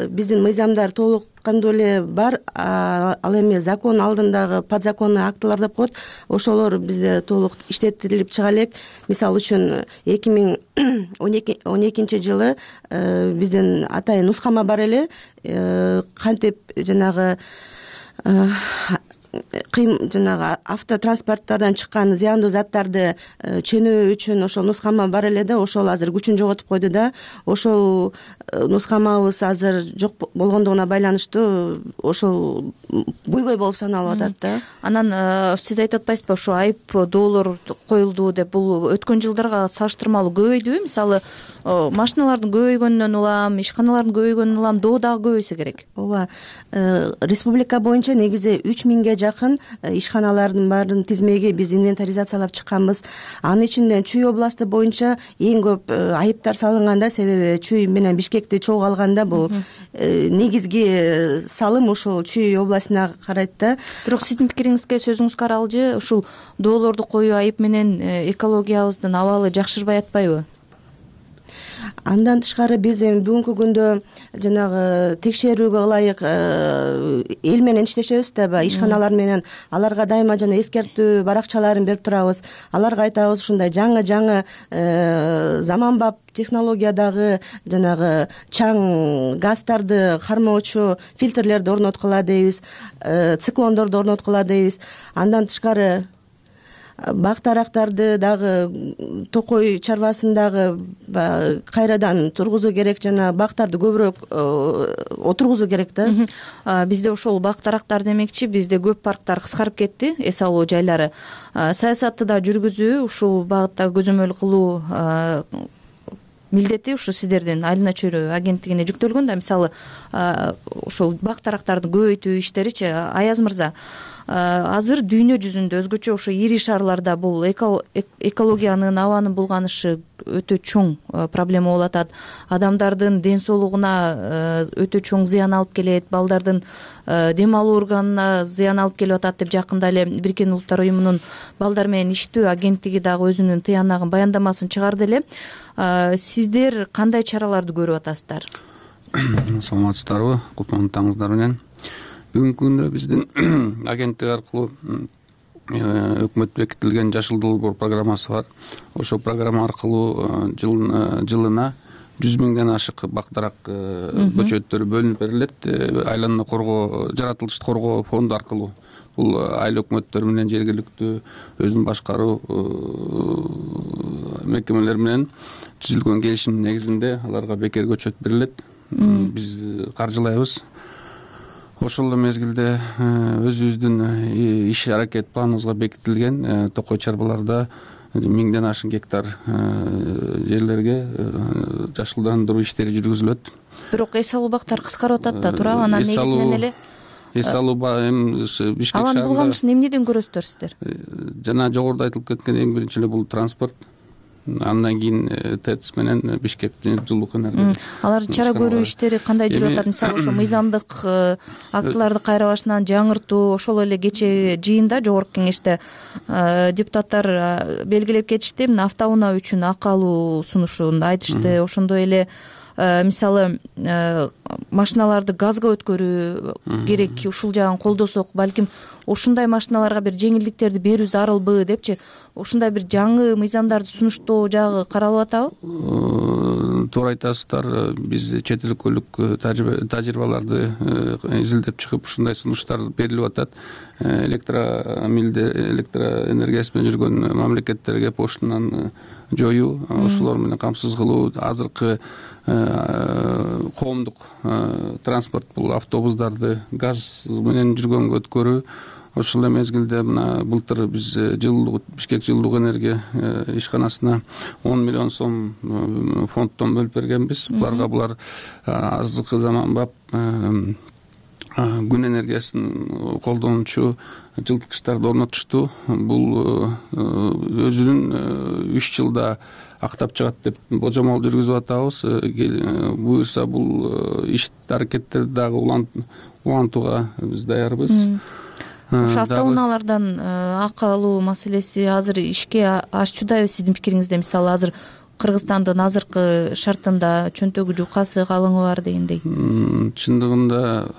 биздин мыйзамдар толук кандуу эле бар, ал эми закон алдындагы подзаконный актылар деп коет, ошолор бизде толук иштетилип чыга элек. Мисалы үчүн эки миң он экинчи жылы биздин атайын нускама бар эле, кантип жанагы кыйм жанагы автотранспорттардан чыккан зыяндуу заттарды ченөө үчүн ошол нускама бар эле да, ошол азыр күчүн жоготуп койду да. Ошол нускамабыз азыр жок болгондугуна байланыштуу ошол көйгөй болуп саналып атат да. Анан сиз айтып атпайсызбы, ошо айып доолор коюлду деп, бул өткөн жылдарга салыштырмалуу көбөйдүбү? Мисалы, машиналардын көбөйгөнүнөн улам, ишканалардын көбөйгөнүнөн улам доо дагы көбөйсө керек. Ооба, республика боюнча негизи үч миңге жакын ишканалардын баарын тизмеги биз инвентаризациялап чыкканбыз. Анын ичинде Чүй областы боюнча эң көп айыптар салынганда, себеби Чүй менен Бишкекти чогуу алганда бул негизги салым ошол Чүй областына карайт да. Бирок сиздин пикириңизге, сөзүңүзгө аралжы, ушул доолорду коюу айып менен экологиябыздын абалы жакшырбай атпайбы? Андан тышкары биз эми бүгүнкү күндө жанагы текшерүүгө ылайык эл менен иштешебиз да, ишканалар менен. Аларга дайыма жана эскертүү баракчаларын берип турабыз. Аларга айтабыз, ушундай жаңы жаңы заманбап технологиядагы жанагы чаң газдарды кармоочу фильтрлерди орноткула дейбиз, циклондорду орноткула дейбиз. Андан тышкары бак-дарактарды дагы токой чарбасындагы кайрадан тургузуу керек, жана бактарды көбүрөөк отургузуу керек да. Бизде ошол бак-дарактар демекчи, бизде көп парктар кыскарып кетти, эс алуу жайлары. Саясатты да жүргүзүү, ушул багытта көзөмөл кылуу милдети ушу сиздердин айлана чөйрө агенттигине жүктөлгөн да. Мисалы, ошол бак-дарактарды көбөйтүү иштеричи. Аяз мырза, азыр дүйнө жүзүндө өзгөчө ошо ири шаарларда бул экологиянын, абанын булганышы өтө чоң проблема болуп атат. Адамдардын ден соолугуна өтө чоң зыян алып келет, балдардын дем алуу органына зыян алып келип атат деп жакында эле Бириккен Улуттар уюмунун балдар менен иштөө агенттиги дагы өзүнүн тыянагын, баяндамасын чыгарды эле. Сиздер кандай чараларды көрүп атасыздар? Саламатсыздарбы? Кутлуу таңыңыздар менен. Бүгүнкү күндө биздин агенттик аркылуу өкмөт бекитилген Жашыл долбоор программасы бар. Ошол программа аркылуу жылына жүз миңден ашык бак-дарак көчөттөрү бөлүнүп берилет. Айлананы коргоо, жаратылышты коргоо фонду аркылуу. Бул айыл өкмөттөр менен жергиликтүү өзүн башкаруу мекемелер менен түзүлгөн келишим негизинде аларга бекер көчөт берилет. Биз каржылайбыз. Ошол эле мезгилде өзүбүздүн иш аракет планыбызга бекитилген токой чарбаларда миңден ашык гектар жерлерге жашылдандыруу иштери жүргүзүлөт. Бирок эс алуу бактар кыскарып атат да, туурабы? Анан негизинен эле эс алуу эми Бишкек шаарында абанын булганышын эмнеден көрөсүздөр сиздер? Жана жогоруда айтылып кеткен эң биринчи эле бул транспорт. Андан кийин тэц менен Бишкек жылуулук энергия. Алар чара көрүү иштери кандай жүрүп атат? Мисалы, ошо мыйзамдык актыларды кайра башынан жаңыртуу, ошол эле кече жыйында жогорку кеңеште депутаттар белгилеп кетишти. Автоунаа үчүн акы алуу сунушун айтышты. Ошондой эле мисалы машиналарды газга өткөрүү керек, ушул жагын колдосок, балким ушундай машиналарга бир жеңилдиктерди берүү зарылбы депчи, ушундай бир жаңы мыйзамдарды сунуштоо жагы каралып атабы? Туура айтасыздар. Биз чет өлкөлүк тажрыйбаларды изилдеп чыгып ушундай сунуштар берилип атат. Электромилде электроэнергиясы менен жүргөн мамлекеттерге поштаны жоюу, ошолор менен камсыз кылуу. Азыркы коомдук транспорт бул автобустарды газ менен жүргөнгө өткөрүү. Ошол эле мезгилде мына былтыр биз жылуулук Бишкек жылуулук энергия ишканасына он миллион сом фонддон бөлүп бергенбиз. Буларга булар азыркы заманбап күн энергиясын колдонуучу жылыткычтарды орнотушту. Бул өзүнүн үч жылда актап чыгат деп божомол жүргүзүп атабыз. Буюрса бул иш аракеттерди дагы улантууга биз даярбыз. Ушу автоунаалардан акы алуу маселеси азыр ишке ашчудайбы сиздин пикириңизде? Мисалы азыр Кыргызстандын азыркы шартында чөнтөгү жукасы, калыңы бар дегендей. Чындыгында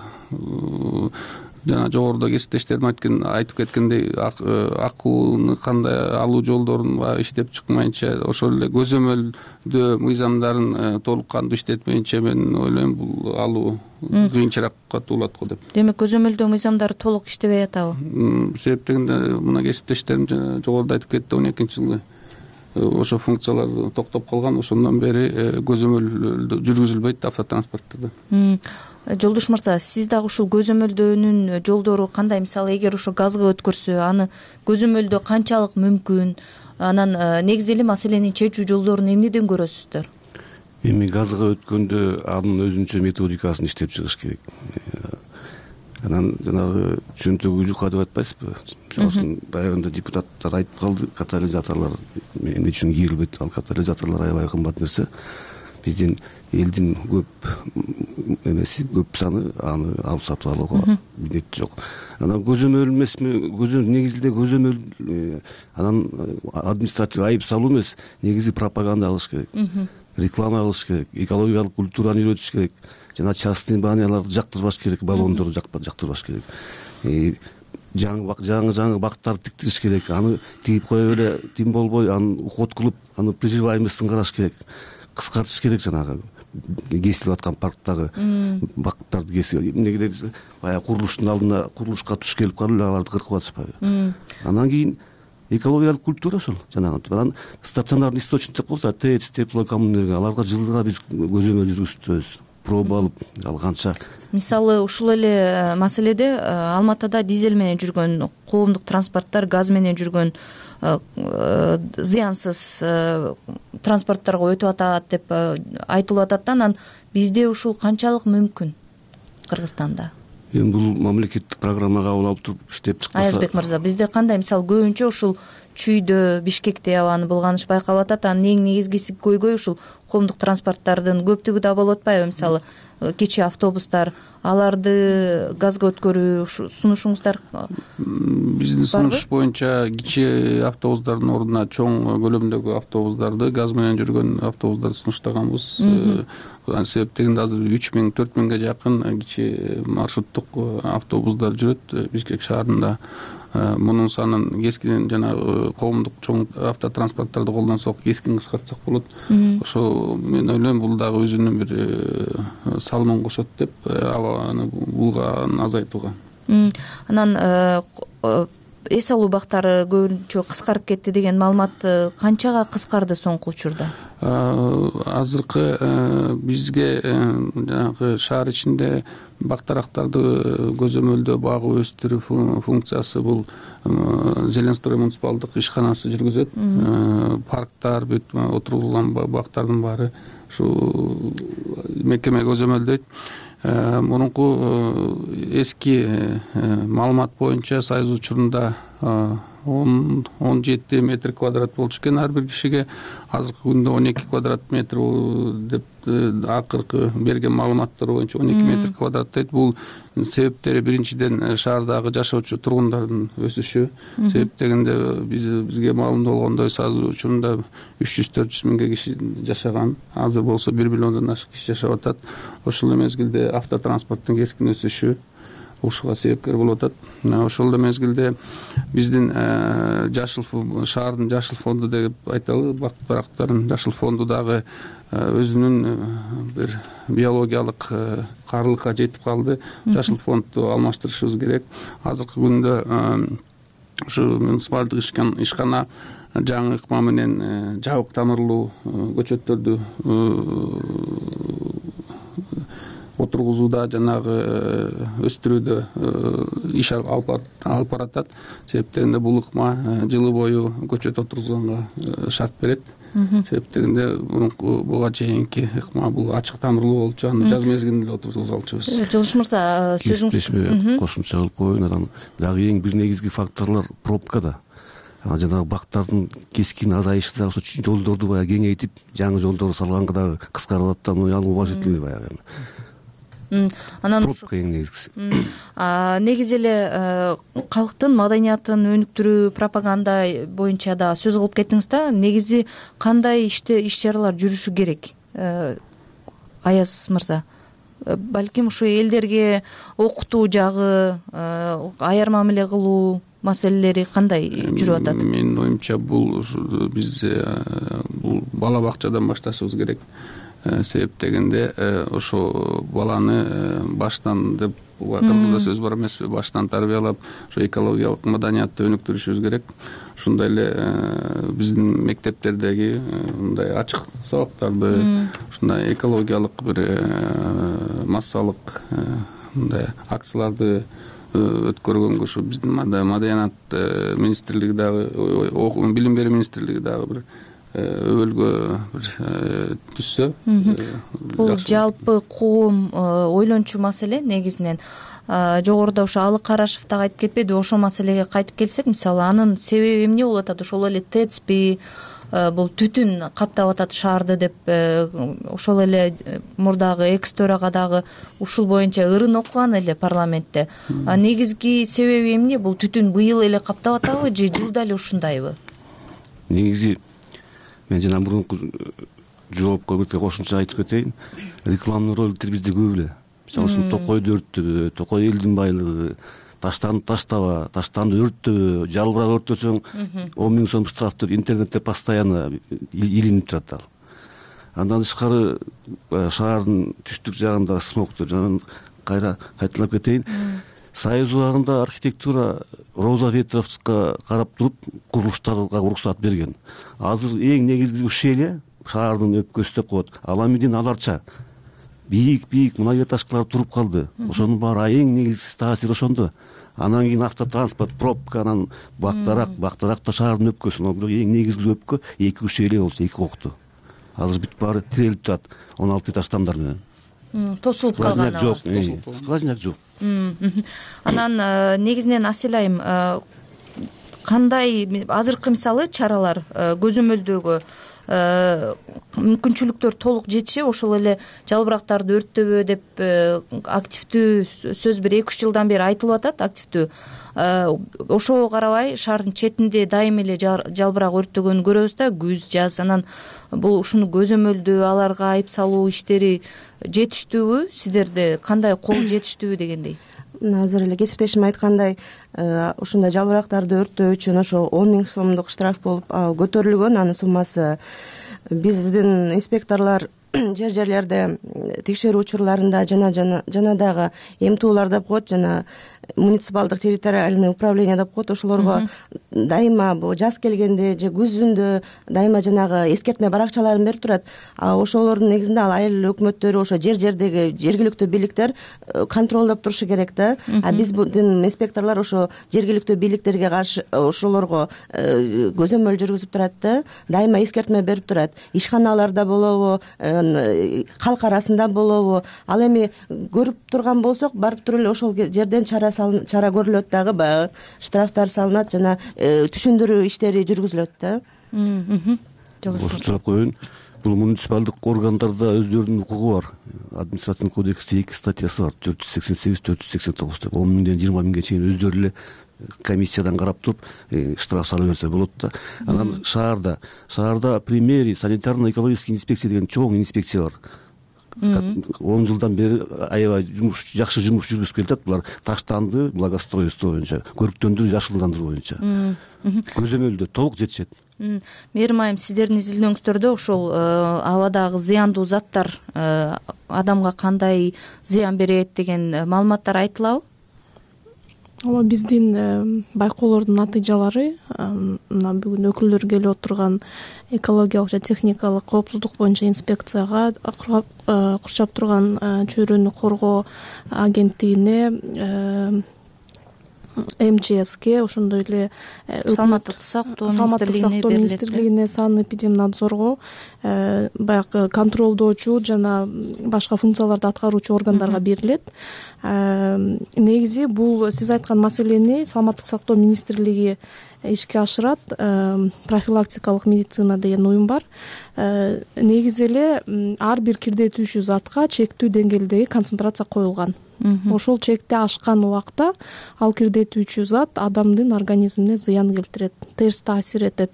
жана жогоруда кесиптештерим айтып кеткендей, акууну кандай алуу жолдорун иштеп чыкмайынча, ошол эле көзөмөлдөө мыйзамдарын толук кандуу иштетмейинче мен ойлойм бул алуу кыйынчыраакка туулат го деп. Демек көзөмөлдөө мыйзамдары толук иштебей атабы? Себеп дегенде мына кесиптештерим жогоруда айтып кетти, он экинчи жылы ошо функциялар токтоп калган. Ошондон бери көзөмөл жүргүзүлбөйт автотранспорттордо. Жолдош мырза, сиз дагы ушул көзөмөлдөөнүн жолдору кандай? Мисалы эгер ошо газга өткөрсө, аны көзөмөлдөө канчалык мүмкүн? Анан негизи эле маселени чечүү жолдорун эмнеден көрөсүздөр? Эми газга өткөндө анын өзүнчө методикасын иштеп чыгыш керек. Анан жанагы чөнтөгү жука деп айтпайсызбы? Мисалы үчүн баягында депутаттар айтып калды, катализаторлор эмне үчүн кийилбейт? Ал катализаторлор аябай кымбат нерсе. Биздин элдин көп эмеси, көп саны аны алып сатып алууга милдет жок. Анан көзөмөл эмесми? Көзөмөл негизинде көзөмөл анан административдик айып салуу эмес, негизи пропаганда кылыш керек. Реклама кылыш керек, экологиялык культураны үйрөтүш керек. Жана частный баняларды жактырбаш керек, баллондорду жактырбаш керек. Жаңы жаңы жаңы бактарды тиктириш керек. Аны тигип коюп эле тим болбой, аны уход кылып, аны приживаемостун караш керек. Кыскартыш керек жанагы кесилип аткан парктагы бактарды кесип. Эмнеге десе, баягы курулуштун алдына курулушка туш келип калып эле аларды кыркып атышпайбы? Анан кийин экологиялык культура ошол жанагы. Анан стационарный источник деп коебуз, ТЭЦ, теплокоммунэнерго, аларга жылдыга биз көзөмөл жүргүзүбүз. Проба алып, ал канча. Мисалы ушул эле маселеде Алматыда дизель менен жүргөн коомдук транспорттор, газ менен жүргөн зыянсыз транспортторго өтүп атат деп айтылып атат. Анан бизде ушул канчалык мүмкүн Кыргызстанда? Эми бул мамлекеттик программага кабыл алып туруп иштеп чыкпаса. Аязбек мырза, бизде кандай? Мисалы көбүнчө ушул Чүйдө, Бишкекте абаны булганыш байкалып атат. Анын эң негизгиси көйгөй ушул коомдук транспорттардын көптүгү да болуп атпайбы? Мисалы кичи автобустар, аларды газга өткөрүү сунушуңуздар биздин сунуш боюнча кичи автобустардын ордуна чоң көлөмдөгү автобустарды, газ менен жүргөн автобустарды сунуштаганбыз. Себеп дегенде азыр үч миң төрт миңге жакын кичи маршруттук автобустар жүрөт Бишкек шаарында. Мунун санын кескин жана коомдук чоң автотранспорттарды колдонсок, кескин кыскартсак болот. Ошо мен ойлойм бул дагы өзүнүн бир салымын кошот деп, абаны булган азайтууга. Анан эс алуу бактары көбүнчө кыскарып кетти деген маалымат канчага кыскарды соңку учурда? Азыркы бизге жанагы шаар ичинде бактарактарды көзөмөлдөө, багуу, өстүрүү функциясы бул Зеленстрой муниципалдык ишканасы жүргүзөт. Парктар, бүт отурулган бактардын баары ушу мекеме көзөмөлдөйт. Мурунку эски маалымат боюнча Союз учурунда он он жети метр квадрат болчу экен ар бир кишиге. Азыркы күндө он эки квадрат метр деп акыркы берген маалыматтар боюнча он эки метр квадрат дейт. Бул себептери биринчиден шаардагы жашоочу тургундардын өсүшү. Себеп дегенде биз бизге маалым болгондой азыр учурунда үч жүз төрт жүз миңге киши жашаган. Азыр болсо бир миллиондон ашык киши жашап атат. Ошол эле мезгилде автотранспорттун кескин өсүшү ушуга себепкер болуп атат. Ошол эле мезгилде биздин жашыл шаардын жашыл фонду деп айталы, бак дарактардын жашыл фонду дагы өзүнүн бир биологиялык каарылыкка жетип калды. Жашыл фондду алмаштырышыбыз керек. Азыркы күндө ушу муниципалдык ишкана жаңы ыкма менен жабык тамырлуу көчөттөрдү отургузууда, жанагы өстүрүүдө иш алып баратат. Себеп дегенде бул ыкма жылы бою көчөт отургузганга шарт берет. Себеп дегенде буга чейинки ыкма бул ачык тамырлуу болчу, аны жаз мезгилинде эле отургуза алчубыз. Жылыш мырза, сөзүңүз кошумча кылып коеюн. Анан дагы эң бир негизги факторлор пробкада. Жанагы бактардын кескин азайышы дагы ошо жолдорду баягы кеңейтип, жаңы жолдор салганга дагы кыскарып атат. Аны уважительный баягы. Анан пробка эң негизгиси. Негизи эле калктын маданиятын өнүктүрүү, пропаганда боюнча да сөз кылып кеттиңиз да. Негизи кандай иште иш чаралар жүрүшү керек? Аяз мырза, балким ушу элдерге окутуу жагы, аяр мамиле кылуу маселелери кандай жүрүп атат? Менин оюмча бул биз бул бала бакчадан башташыбыз керек. Себеп дегенде ошо баланы баштан деп кыргызда сөз бар эмеспи, баштан тарбиялап ошо экологиялык маданиятты өнүктүрүшүбүз керек. Ошондой эле биздин мектептердеги мындай ачык сабактарды, ушундай экологиялык бир массалык мындай акцияларды өткөргөнгө ушу биздин маданият министрлиги дагы, билим берүү министрлиги дагы бир өбөлгө бир түзсө. Бул жалпы коом ойлончу маселе негизинен. Жогоруда ошо Алык Карашев дагы айтып кетпеди, ошол маселеге кайтып келсек, мисалы анын себеби эмне болуп атат? Ошол эле ТЭЦпи, бул түтүн каптап атат шаарды деп, ошол эле мурдагы экс төрага дагы ушул боюнча ырын окуган эле парламентте. Негизги себеби эмне? Бул түтүн быйыл эле каптап атабы же жылда эле ушундайбы? Негизи мен жана мурунку жоопко бир кошумча айтып кетейин. Рекламный роликтер бизде көп эле. Мисалы ушул Токойду өрттөбө, Токой элдин байлыгы, таштанды таштаба, таштанды өрттөбө, жалбырак өрттөсөң он миң сом штраф деп интернетте постоянно илинип турат ал. Андан тышкары шаардын түштүк жагында смог деп жана кайра кайталап кетейин. Союз убагында архитектура Роза Ветровскага карап туруп курулуштарга уруксат берген. Азыр эң негизги ушел шаардын өпкөсү деп коет. Ал эмнеден аларча бийик-бийик многоэтажкалар туруп калды. Ошонун баары эң негизги таасир ошондо. Анан кийин автотранспорт, пробка, анан бактарак, бактарак да шаардын өпкөсү. Бирок эң негизги өпкө эки ушел болчу, эки кокту. Азыр бүт баары тирелип турат он алты этаж тамдар менен. Тосулуп калган. Жок, сквозняк жок. Анан негизинен Асель айым, кандай азыркы мисалы чаралар көзөмөлдөгө мүмкүнчүлүктөр толук жетишеби? Ошол эле жалбырактарды өрттөбө деп активдүү сөз бир эки үч жылдан бери айтылып атат, активдүү. Ошого карабай шаардын четинде дайым эле жалбырак өрттөгөнүн көрөбүз да, күз, жаз. Анан бул ушуну көзөмөлдөө, аларга айып салуу иштери жетиштүүбү? Сиздерде кандай кол жетиштүүбү дегендей? Азыр эле кесиптешим айткандай, ушундай жалбырактарды өрттөө үчүн ошо он миң сомдук штраф болуп көтөрүлгөн. Анын суммасы биздин инспекторлор жер жерлерде текшерүү учурларында жана жана дагы эмтуулар деп коет, жана муниципалдык территориальный управление деп коет. Ошолорго дайыма бул жаз келгенде же күзүндө дайыма жанагы эскертме баракчаларын берип турат. Ошолордун негизинде ал айыл өкмөттөрү, ошо жер жердеги жергиликтүү бийликтер контролдоп турушу керек да. А биздин инспекторлор ошо жергиликтүү бийликтерге каршы ошолорго көзөмөл жүргүзүп турат да, дайыма эскертме берип турат. Ишканаларда болобу, калк арасында болобу, ал эми көрүп турган болсок, барып туруп эле ошол жерден чара чара көрүлөт дагы, баягы штрафтар салынат жана түшүндүрүү иштери жүргүзүлөт да. Кошумчалап коеюн, бул муниципалдык органдарда өздөрүнүн укугу бар. Административдик кодексте эки статьясы бар, төрт жүз сексен сегиз төрт жүз сексен тогуз деп, он миңден жыйырма миңге чейин өздөрү эле комиссиядан карап туруп штраф салып берсе болот да. Анан шаарда шаарда примерий санитарно-экологический инспекция деген чоң инспекция бар. он жылдан бери аябай жумуш жакшы жумуш жүргүзүп келатат. Булар таштанды благоустройство боюнча, көрктөндүрүү, жашылдандыруу боюнча көзөмөлдө толук жетишет. Мээрим айым, сиздердин изилдөөңүздөрдө ошол абадагы зыяндуу заттар адамга кандай зыян берет деген маалыматтар айтылабы? Ооба, биздин байкоолордун натыйжалары мына бүгүн өкүлдөр келип отурган экологиялык жана техникалык коопсуздук боюнча инспекцияга, курчап турган чөйрөнү коргоо агенттигине, эм че эске, ошондой эле саламаттык сактоо министрлигине, санэпидемнадзорго, баягы контролдоочу жана башка функцияларды аткаруучу органдарга берилет. Негизи бул сиз айткан маселени саламаттык сактоо министрлиги ишке ашырат. Профилактикалык медицина деген уюм бар. Негизи эле ар бир кирдетүүчү затка чектүү деңгээлдеги концентрация коюлган. Ошол чекти ашкан убакта ал кирдетүүчү зат адамдын организмине зыян келтирет, терс таасир этет.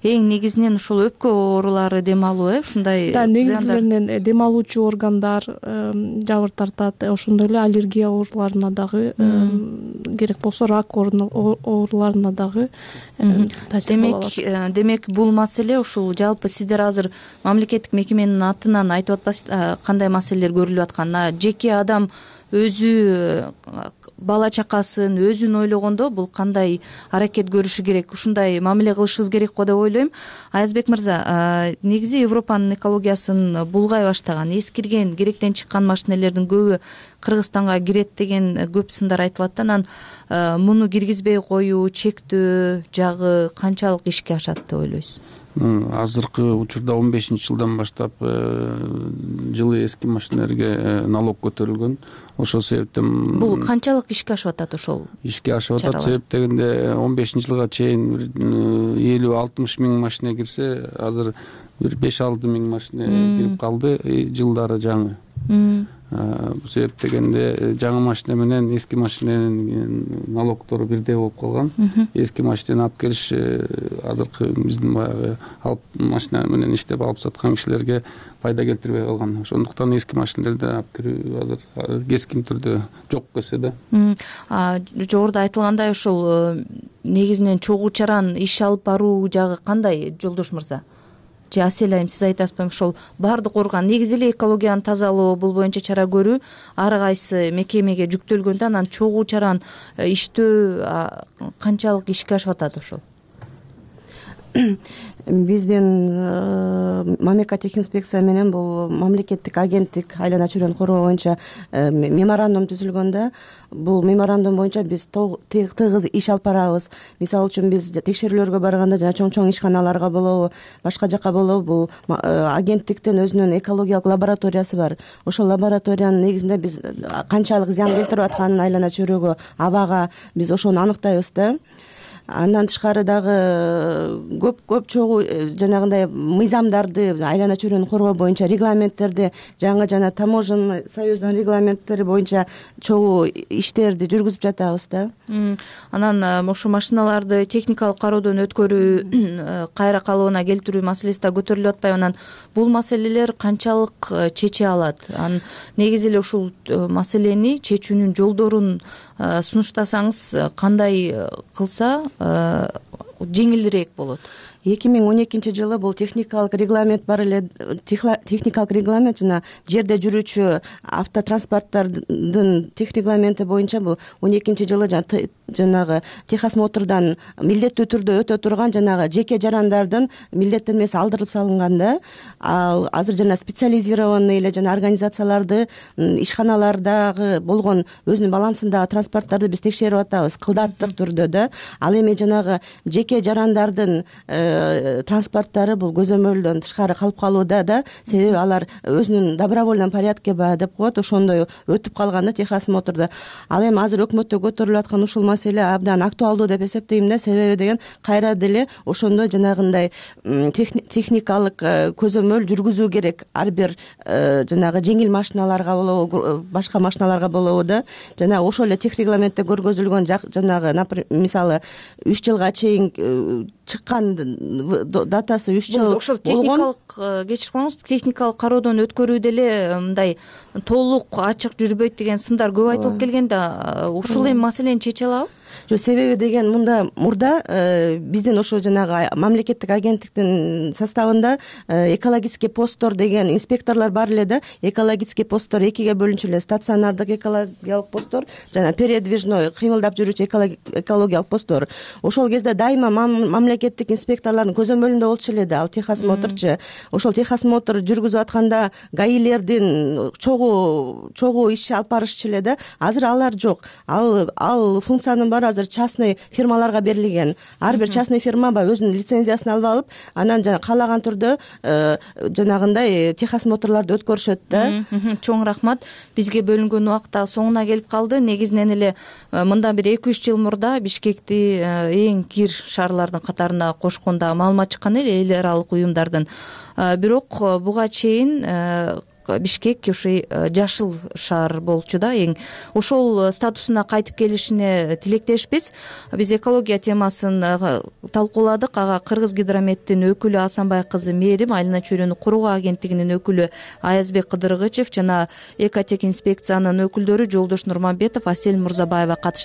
Эң негизинен ушул өпкө оорулары дем алуу, э, ушундай да, негизлеринен дем алуучу органдар жабыр тартат, ошондой эле аллергия ооруларына дагы, керек болсо рак ооруларына дагы таасир боло алат. Демек, бул маселе ушул жалпы сиздер азыр мамлекеттик мекеменин атынан айтып атпайсыздар кандай маселелер көрүлүп атканын. Жеке адам өзү бала чакасын өзүн ойлогондо бул кандай аракет көрүшү керек, ушундай мамиле кылышыбыз керек го деп ойлойм. Аязбек мырза, негизи Европанын экологиясын булгай баштаган, эскирген, керектен чыккан машинелердин көбү Кыргызстанга кирет деген көп сындар айтылат да. Анан муну киргизбей коюу, чектөө жагы канчалык ишке ашат деп ойлойсуз? Азыркы учурда он бешинчи жылдан баштап жылы эски машинелерге налог көтөрүлгөн. Ошол себептен бул канчалык ишке ашып атат? Ошол ишке ашып атат. Себеп дегенде он бешинчи жылга чейин элүү алтымыш миң машина кирсе, азыр бир беш алты миң машина кирип калды. Жылдары жаңы. Бул себеп дегенде жаңы машина менен эски машиненин налогтору бирдей болуп калган. Эски машинени алып келиш азыркы биздин баягы алып машина менен иштеп алып саткан кишилерге пайда келтирбей калган. Ошондуктан эски машинелерди алып кирүү азыр кескин түрдө жок кесе да. Жогоруда айтылгандай, ошол негизинен чогуу чаран иш алып баруу жагы кандай, Жолдош мырза? Же Асель айым, сиз айтасызбы? Ошол баардык орган негизи эле экологияны тазалоо, бул боюнча чара көрүү ар кайсы мекемеге жүктөлгөндө, анан чогуу чаран иштөө канчалык ишке ашып атат ошол? Биздин мамлекеттик менен бул мамлекеттик агенттик айлана чөйрөнү коргоо боюнча меморандум түзүлгөндө, бул меморандум боюнча биз тыгыз иш алып барабыз. Мисалы үчүн биз текшерүүлөргө барганда жана чоң-чоң ишканаларга болобу, башка жака болобу, бул агенттиктин өзүнүн экологиялык лабораториясы бар. Ошол лабораториянын негизинде биз канчалык зыян келтирип атканын айлана чөйрөгө, абага биз ошону аныктайбыз да. Андан тышкары дагы көп көп чогуу жанагындай мыйзамдарды, айлана чөйрөнү коргоо боюнча регламенттерди, жаңы жана таможенный союздун регламенттери боюнча чогуу иштерди жүргүзүп жатабыз да. Анан ошо машиналарды техникалык кароодон өткөрүү, кайра калыбына келтирүү маселеси да көтөрүлүп атпайбы? Анан бул маселелер канчалык чече алат? Анан негизи эле ушул маселени чечүүнүн жолдорун сунуштасаңыз кандай кылса жеңилирээк болот? эки миң он экинчи жылы бул техникалык регламент бар эле. Техникалык регламент жана жерде жүрүүчү автотранспорттардын тех регламенти боюнча бул он экинчи жылы жанагы техосмотрдан милдеттүү түрдө өтө турган жанагы жеке жарандардын милдеттенмеси алдырылып салынган да. Ал азыр жана специализированный эле жана организацияларды, ишканалардагы болгон өзүнүн балансындагы транспорттарды биз текшерип атабыз кылдаттык түрдө да. Ал эми жанагы жеке жарандардын транспорттары бул көзөмөлдөн тышкары калып калууда да, себеби алар өзүнүн добровольном порядке баягы деп коет, ошондой өтүп калган да Техас Мотордо. Ал эми азыр өкмөттө көтөрүлүп аткан ушул маселе абдан актуалдуу деп эсептейм да, себеби деген кайра деле ошондой жанагындай техникалык көзөмөл жүргүзүү керек ар бир жанагы жеңил машиналарга болобу, башка машиналарга болобу да. Жана ошол эле техрегламентте көргөзүлгөн жанагы мисалы үч жылга чейин чыккан датасы үч жыл ошол техникалык, кечирип коюңуз, техникалык кароодон өткөрүү деле мындай толук ачык жүрбөйт деген сындар көп айтылып келген да. Ушул эми маселени чече алабы? Жок, себеби деген мында мурда биздин ошо жанагы мамлекеттик агенттиктин составында экологический посттор деген инспекторлор бар эле да. Экологический посттор экиге бөлүнчү эле: стационардык экологиялык посттор жана передвижной кыймылдап жүрүүчү экологиялык посттор. Ошол кезде дайыма мамлекеттик инспекторлордун көзөмөлүндө болчу эле да ал Техас Моторчу. Ошол Техас Мотор жүргүзүп атканда гаилердин чогуу чогуу иш алып барышчу эле да. Азыр алар жок. Ал ал функциянын баары азыр частный фирмаларга берилген. Ар бир частный фирма баягы өзүнүн лицензиясын алып алып, анан жана каалаган түрдө жанагындай Техас Моторлорду өткөрүшөт да. Чоң рахмат. Бизге бөлүнгөн убакыт да соңуна келип калды. Негизинен эле мындан бир эки үч жыл мурда Бишкекти эң кир шаарлардын катарына кошкондо маалымат чыккан эле эл аралык уюмдардын. Бирок буга чейин Бишкек ошо жашыл шаар болчу да эң. Ошол статусуна кайтып келишине тилектешпиз. Биз экология темасын талкууладык. Ага Кыргыз Гидрометтин өкүлү Асанбай кызы Мээрим, Айлана чөйрөнү куруу агенттигинин өкүлү Аязбек Кыдыргычев жана Экотех инспекциянын өкүлдөрү Жолдош Нурманбетов, Асель Мурзабаева катышты.